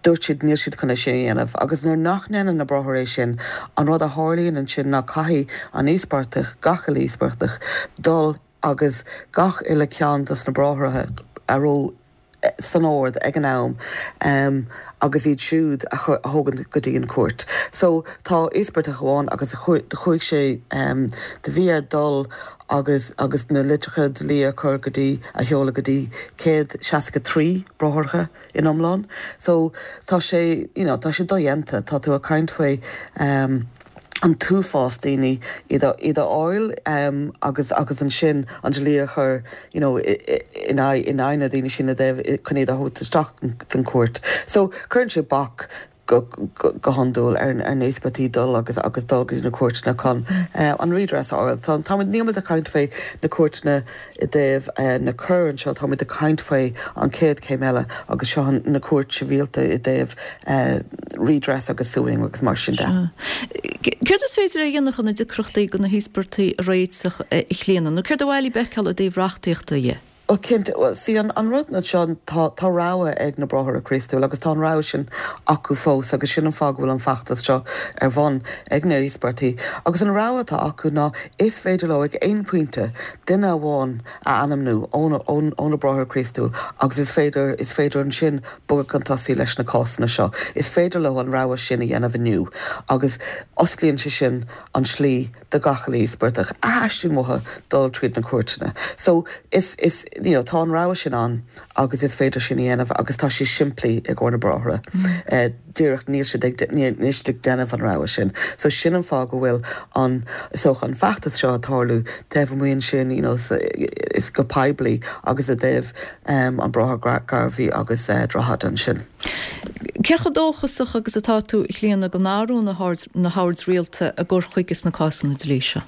S18: Dúirt siad níl siad chun é sin a dhéanamh. Agus nuair nach ndéanann na bráithre é sin, an rud a tharlaíonn ansin ná caithfidh an íospartach, gach uile íospartach, dul agus gach uile ceann dos na bráithreacha a raibh san ord ag an am agus iad siúd a thógaint go dtí an chúirt. So tá íospartach amháin agus do chuaigh sé, do bhí air dul agus agus na litreacha dlí a chur go dtí, a sheoladh go dtí 163 bráithreacha in iomlán. So tá sé, you know, tá sé dodhéanta, tá tú ag caint faoi an t-uafás daoine iad a, iad a fháil agus, agus ansin an dlí a chur, you know, in aghaidh, in aghaidh na daoine sin i dtaobh, chun iad a thabhairt isteach don chúirt. So cuireann sé bac go, go, go hiondúil ar, ar na híospartaigh dul agus, agus dul go dtí na cúirteanna chun an redress a fháil. So táimid, níl muid ag caint faoi na cúirteanna I dtaobh na coir anseo, táimid ag caint faoi an chéad chéim eile agus seo na cúirt sibhialta i dtaobh redress agus suing agus mar sin de.
S1: Céard is féidir a dhéanamh chun na deacrachtaí do na híospartaigh a réiteach, a Chlíona, nó céard ba mhaith libh a fheiceáil i dtaobh reachtaíochta dhe?
S18: Bhuel, cinnte, bhuel, see, an rud anseo, tá, tá rogha ag na Bráithre Críostúla agus tá an rogha sin acu fós agus sin an fáth go bhfuil an feachtas seo ar bun ag na híospartaigh. Agus an rogha atá acu ná is féidir leo ag aon phointe duine amháin a ainmniú ó na Bráithre Críostúil agus is féidir, is féidir ansin bogadh chun tosaigh leis na cásanna seo. Is féidir leo an rogha sin a dhéanamh inniu agus osclaíonn sé sin an tslí do gach uile íospartach a theastaíonn uathu dul tríd na cúirteanna. So, is, is, you know, tá an rogha sin ann agus is féidir sin a dhéanamh agus tá sé simplí i gcomhair na bráithre. Díreach níl siad ag, níl siad ag déanamh an rogha sin. So sin an fáth go bhfuil an, is dócha, an feachtas seo ag tarlú taobh amuigh ansin, you know, is go poiblí agus i dtaobh an Bráthair Garvey agus Droichead ansin.
S1: Cé chomh dóchasach agus atá tú, a Chlíona, go n-athróidh na hoird rialta a gcur chuige sna cásanna dlí seo?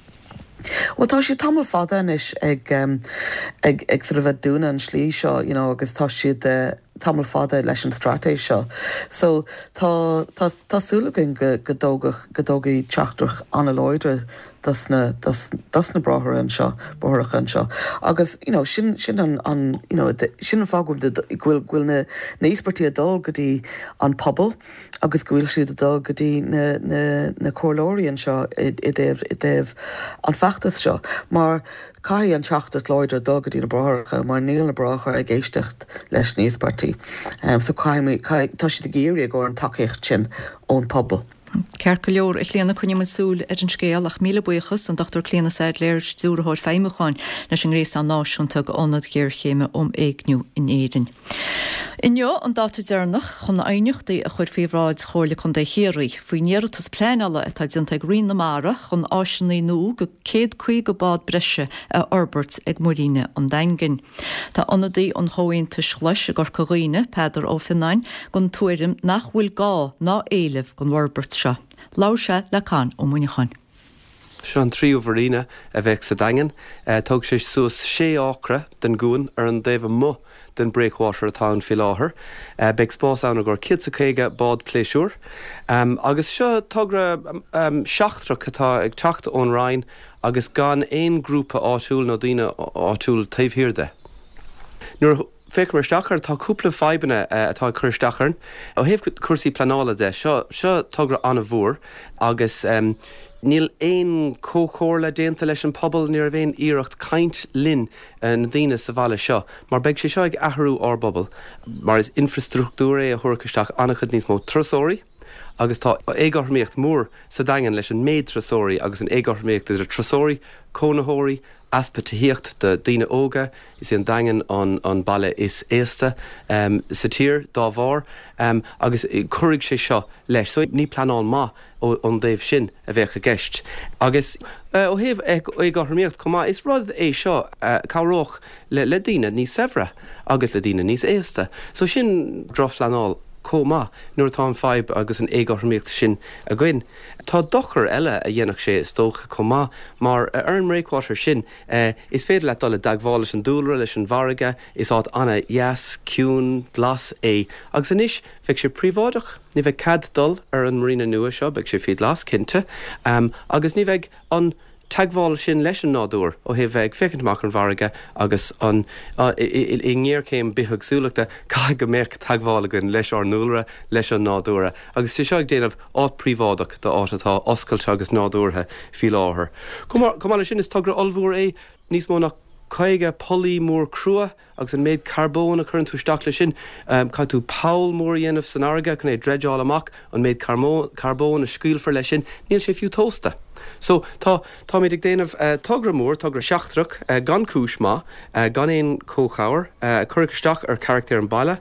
S18: Bhuel tá siad tamall fada anois ag, ag, ag sort of ag dúnadh an slí seo, you know, agus tá siad, tamall fada leis an straitéis seo. So tá, tá, tá súil againn go, go dtógfadh, go dtógfaidh teachtaireacht an-láidir dos na, dos, dos na bráithre anseo, bráithreacha anseo. Agus, you know, sin, sin an, an, you know, sin an fáth go bhfuil, go bhfuil, go bhfuil na, na íospartaigh ag dul go dtí an pobal agus go bhfuil siad ag dul go dtí na, na, na comhairleoirí anseo i, i dtaobh, i dtaobh an feachtas seo. Mar Caithfidh an teachtaireacht láidir dul go dtí na bráithreacha mar níl na bráithre ag éisteacht leis na híospartaigh. So caithfidh, caithfidh, tá siad ag iarraidh i gcomhair an tacaíocht sin ón pobal.
S1: Ceart go leor, a Chlíona, coinneoidh muid súil ar an scéal ach míle buíochas, an Dr Clíona Saidléar, Stiúrthóir Feidhmiúcháin leis an nGréasán Náisiúnta d'Ionaid Ghéarchéime um Éigniú in Éirinn. Inniu an dáta deireanach chun aighneachtaí a chur faoi bhráid Chomhairle Contae Chiarraí faoin iarratas pleanála atá déanta ag Roinn na Mara chun áiseanna nua do 150 bád breise a fhorbairt ag Muiríne an Daingin. Tá ionadaí an Chomhaontais Ghlais i gCorca Dhuibhne, Peadar Ó Fionnáin, den tuairim nach bhfuil gá ná éileamh don bhforbairt seo. Labhair sé le Con Ó Muineacháin.
S19: Seo an tríú mharina a bheadh sa Daingean. Tógfaidh sé suas sé acra den gcuan ar an dtaobh amuigh den breakwater atá ann faoi láthair. Beidh spás ann i gcomhair 150 bád pléisiúir. Agus seo togra seachtrach atá ag teacht ón Roinn agus gan aon grúpa áitiúil nó daoine áitiúil taobh thiar de. Nuair a. Féachaimid isteach air, tá cúpla fadhbanna atá ag cur isteach orainn. Ó thaobh cúrsaí pleanála de, seo, seo togra an-mhór agus níl aon chomhchomhairle déanta leis an pobal, ní raibh aon iarracht caint linn, na daoine sa bhaile seo, mar beidh sé seo ag athrú ár bpobal, mar is infreastruchtúr é a thabharfadh isteach an-chuid níos mó turasóirí agus tá éagothromaíocht mhór sa Daingean leis an méid turasóirí agus an éagothromaíocht idir turasóirí, cónaitheoirí, easpa tithíocht do daoine óga, Is é an Daingean an baile is aosta sa tír dá bharr agus cuirfidh sé seo leis. So ní pleanáil maith ón dtaobh sin a bheadh i gceist. Agus ó thaobh éagothromaíocht chomh maith, is rud é seo a chabhródh le daoine níos saibhre agus le daoine níos aosta. So sin drochphleanáil chomh maith nuair atá an fadhb agus an éagothromaíocht sin againn. Tá dochar eile a dhéanfadh sé is dócha chomh maith mar ar an mbreakwater sin, Is féidir leat dul i dteagmháil leis an dúlra, leis an bhfarraige, is áit an-dheas, ciúin, glas é. Agus anois, bheadh sé príobháideach, ní bheidh cead dul ar an marina nua seo, beidh sé faoi ghlas, cinnte, agus ní bheidh an. teagmháil sin leis an nádúr ó thaobh bheith ag féachaint amach ar an bhfarraige agus an, i ngéarchéim bithéagsúlachta, caithfidh go mbeadh teagmháil againn leis ár ndúlra, leis an nádúr agus sé seo ag déanamh áit príobháideach d'áit atá oscailte agus nádúrtha faoi láthair. Chomh maith leis sin, is togra ollmhór é níos mó ná 50 pollaí mór crua, Agus an méid carbóin a chuireann tú isteach leis sin, caithfidh tú poll mór a dhéanamh san fharraige chun é a dreideáil amach, an méid carbóin a scaoilfear leis sin, níl sé fiú tomhaiste. So, tá, táimid ag déanamh togra mór, togra seachtrach, gan cúis maith, gan aon chomhchabhair, a chuirfidh isteach ar charachtar an bhaile,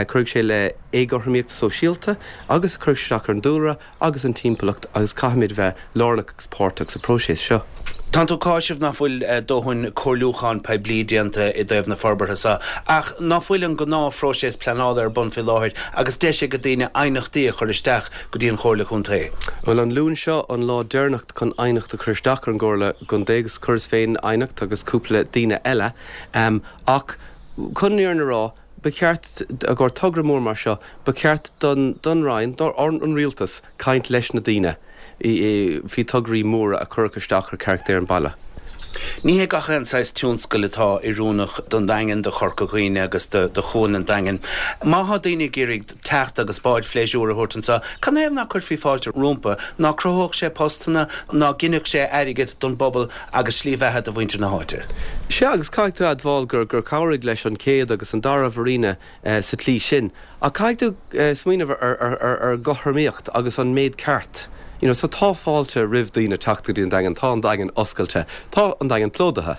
S19: cuirfidh sé le éagothromaíocht sóisialta agus a chuirfidh isteach ar an dúlra, agus an timpeallacht agus caithfimid bheith lárnach agus páirteach sa próiseas seo.
S20: Tánn tú ag cáiseamh nach bhfuil dóthain comhairliúchán poiblí déanta i dtaobh na forbartha seo, ach ná fuil an gnáthphróiseas pleanála ar bun faoi láthair agus deis ag daoine aighneachtaí a chur isteach go dtí an Chomhairle Contae?
S19: Bhuel, an Luan seo an lá deireanach chun aighneacht a chur isteach ar an gComhairle gContae agus chuireas féin aighneacht agus cúpla daoine eile ach chun an fhírinne a rá, Ba cheart, i gcomhair togra mór mar seo, ba cheart don don Roinn, don Rialtas, caint leis na daoine faoi tograí móra a chuirfeadh isteach ar charachtar an bhaile.
S20: Ní hé gach aon saghas tionscail atá oiriúnach don Daingean, do Chorca Dhuibhne agus do Chuan an Daingin. Má thá daoine ag iarraidh teacht agus báid phléisiúir a thabhairt anseo, cad 'na thaobh ná cuirfí fáilte rompu? Ná cruthódh sé postanna, ná ginfeadh sé airgead don bpobal agus slí bheatha do mhuintir na háite.
S19: Sea, agus caithfidh tú a admháil gur gur chabhraigh leis an chéad agus an dara mharina sa tslí sin. Ach caithfidh tú smaoineamh ar ar ar ar gcothromaíocht agus an méid ceart. You know, so tá fáilte roimh daoine teacht go dtí an Daingean, tá an Daingean oscailte, tá an Daingean plódaithe.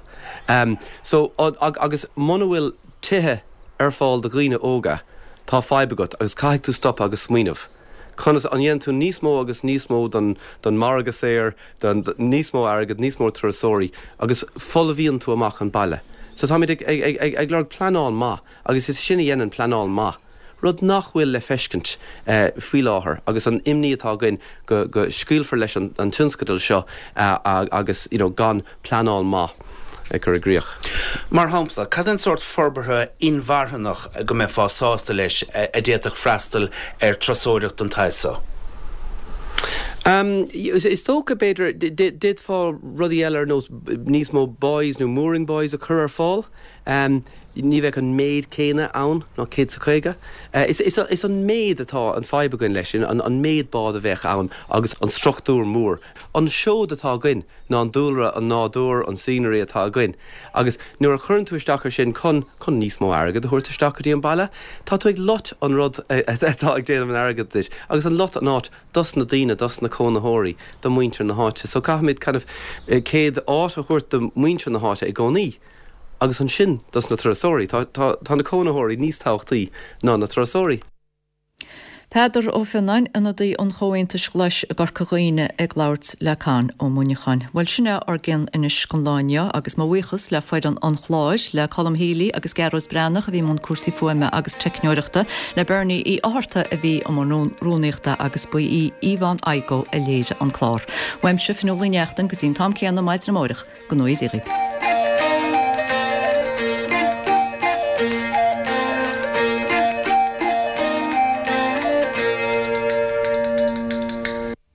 S19: So, agus muna bhfuil tithe ar fáil do dhaoine óga, tá fadhb agat agus caithfidh tú stopadh agus smaoineamh. Conas, an ndéanann tú níos mó agus níos mó don don margadh saor, don níos mó airgead, níos mó turasóirí agus folmhaíonn tú amach an baile. So táimid ag ag ag ag lorg pleanáil maith agus is sin a dhéanann pleanáil maith, rud nach bhfuil le feiscint faoi láthair agus an imní atá againn go go scaoilfear leis an an tionscadal seo agus you know gan pleanáil maith a chur i gcrích.
S20: Mar shampla, cad é an sórt forbartha inmharthanach go mbeifeá sásta leis a d'fhéadfadh freastal ar turasóireacht den tsaghas so?
S19: Is dócha, b'fhéidir, d'fhéadfá rudaí eile ar nós níos mó buoys nó mooring buoys a chur ar fáil. Ní bheadh an méid céanna ann ná 150. Is an méid atá an fadhb againn leis, an méid bád a bheadh ann agus an struchtúr mór. An seod atá againn ná an dúlra, an nádúr, an scenery atá againn agus nuair a chuireann tú isteach ar sin chun, chun níos mó airgead a thabhairt isteach go dtí an baile, tá tú ag loit an rud atá ag déanamh an airgead duit agus an lot an áit dos na daoine, dos na cónaitheoirí, do muintir na háite. So caithfimid kind of céad áit a thabhairt do muintir na háite i gcónaí agus ansin dos na turasóirí. Tá, tá, tá na cónaitheoirí níos tábhachtaí ná na turasóirí.
S1: Peadar Ó Fionnáin, ionadaí an Chomhaontais Ghlais i gCorca Dhuibhne ag labhairt le Con Ó Muineacháin. Bhuel sin é ár gcion anois don lá inniu agus mo bhuíochas le foireann an chláir, le Colm Healy agus Gearóid Breathnach a bhí i mbun cúrsaí fuaime agus teicneoireachta, le Bernie Uí Fhátharta a bhí i mbun rúnaíochta agus ba í Yvonne Igoe a léirigh an clár. Uaimse, Fionnuala Ní Neachtain, go dtí an t-am céanna maidin amárach, go ngnóthaí Dia dhaoibh.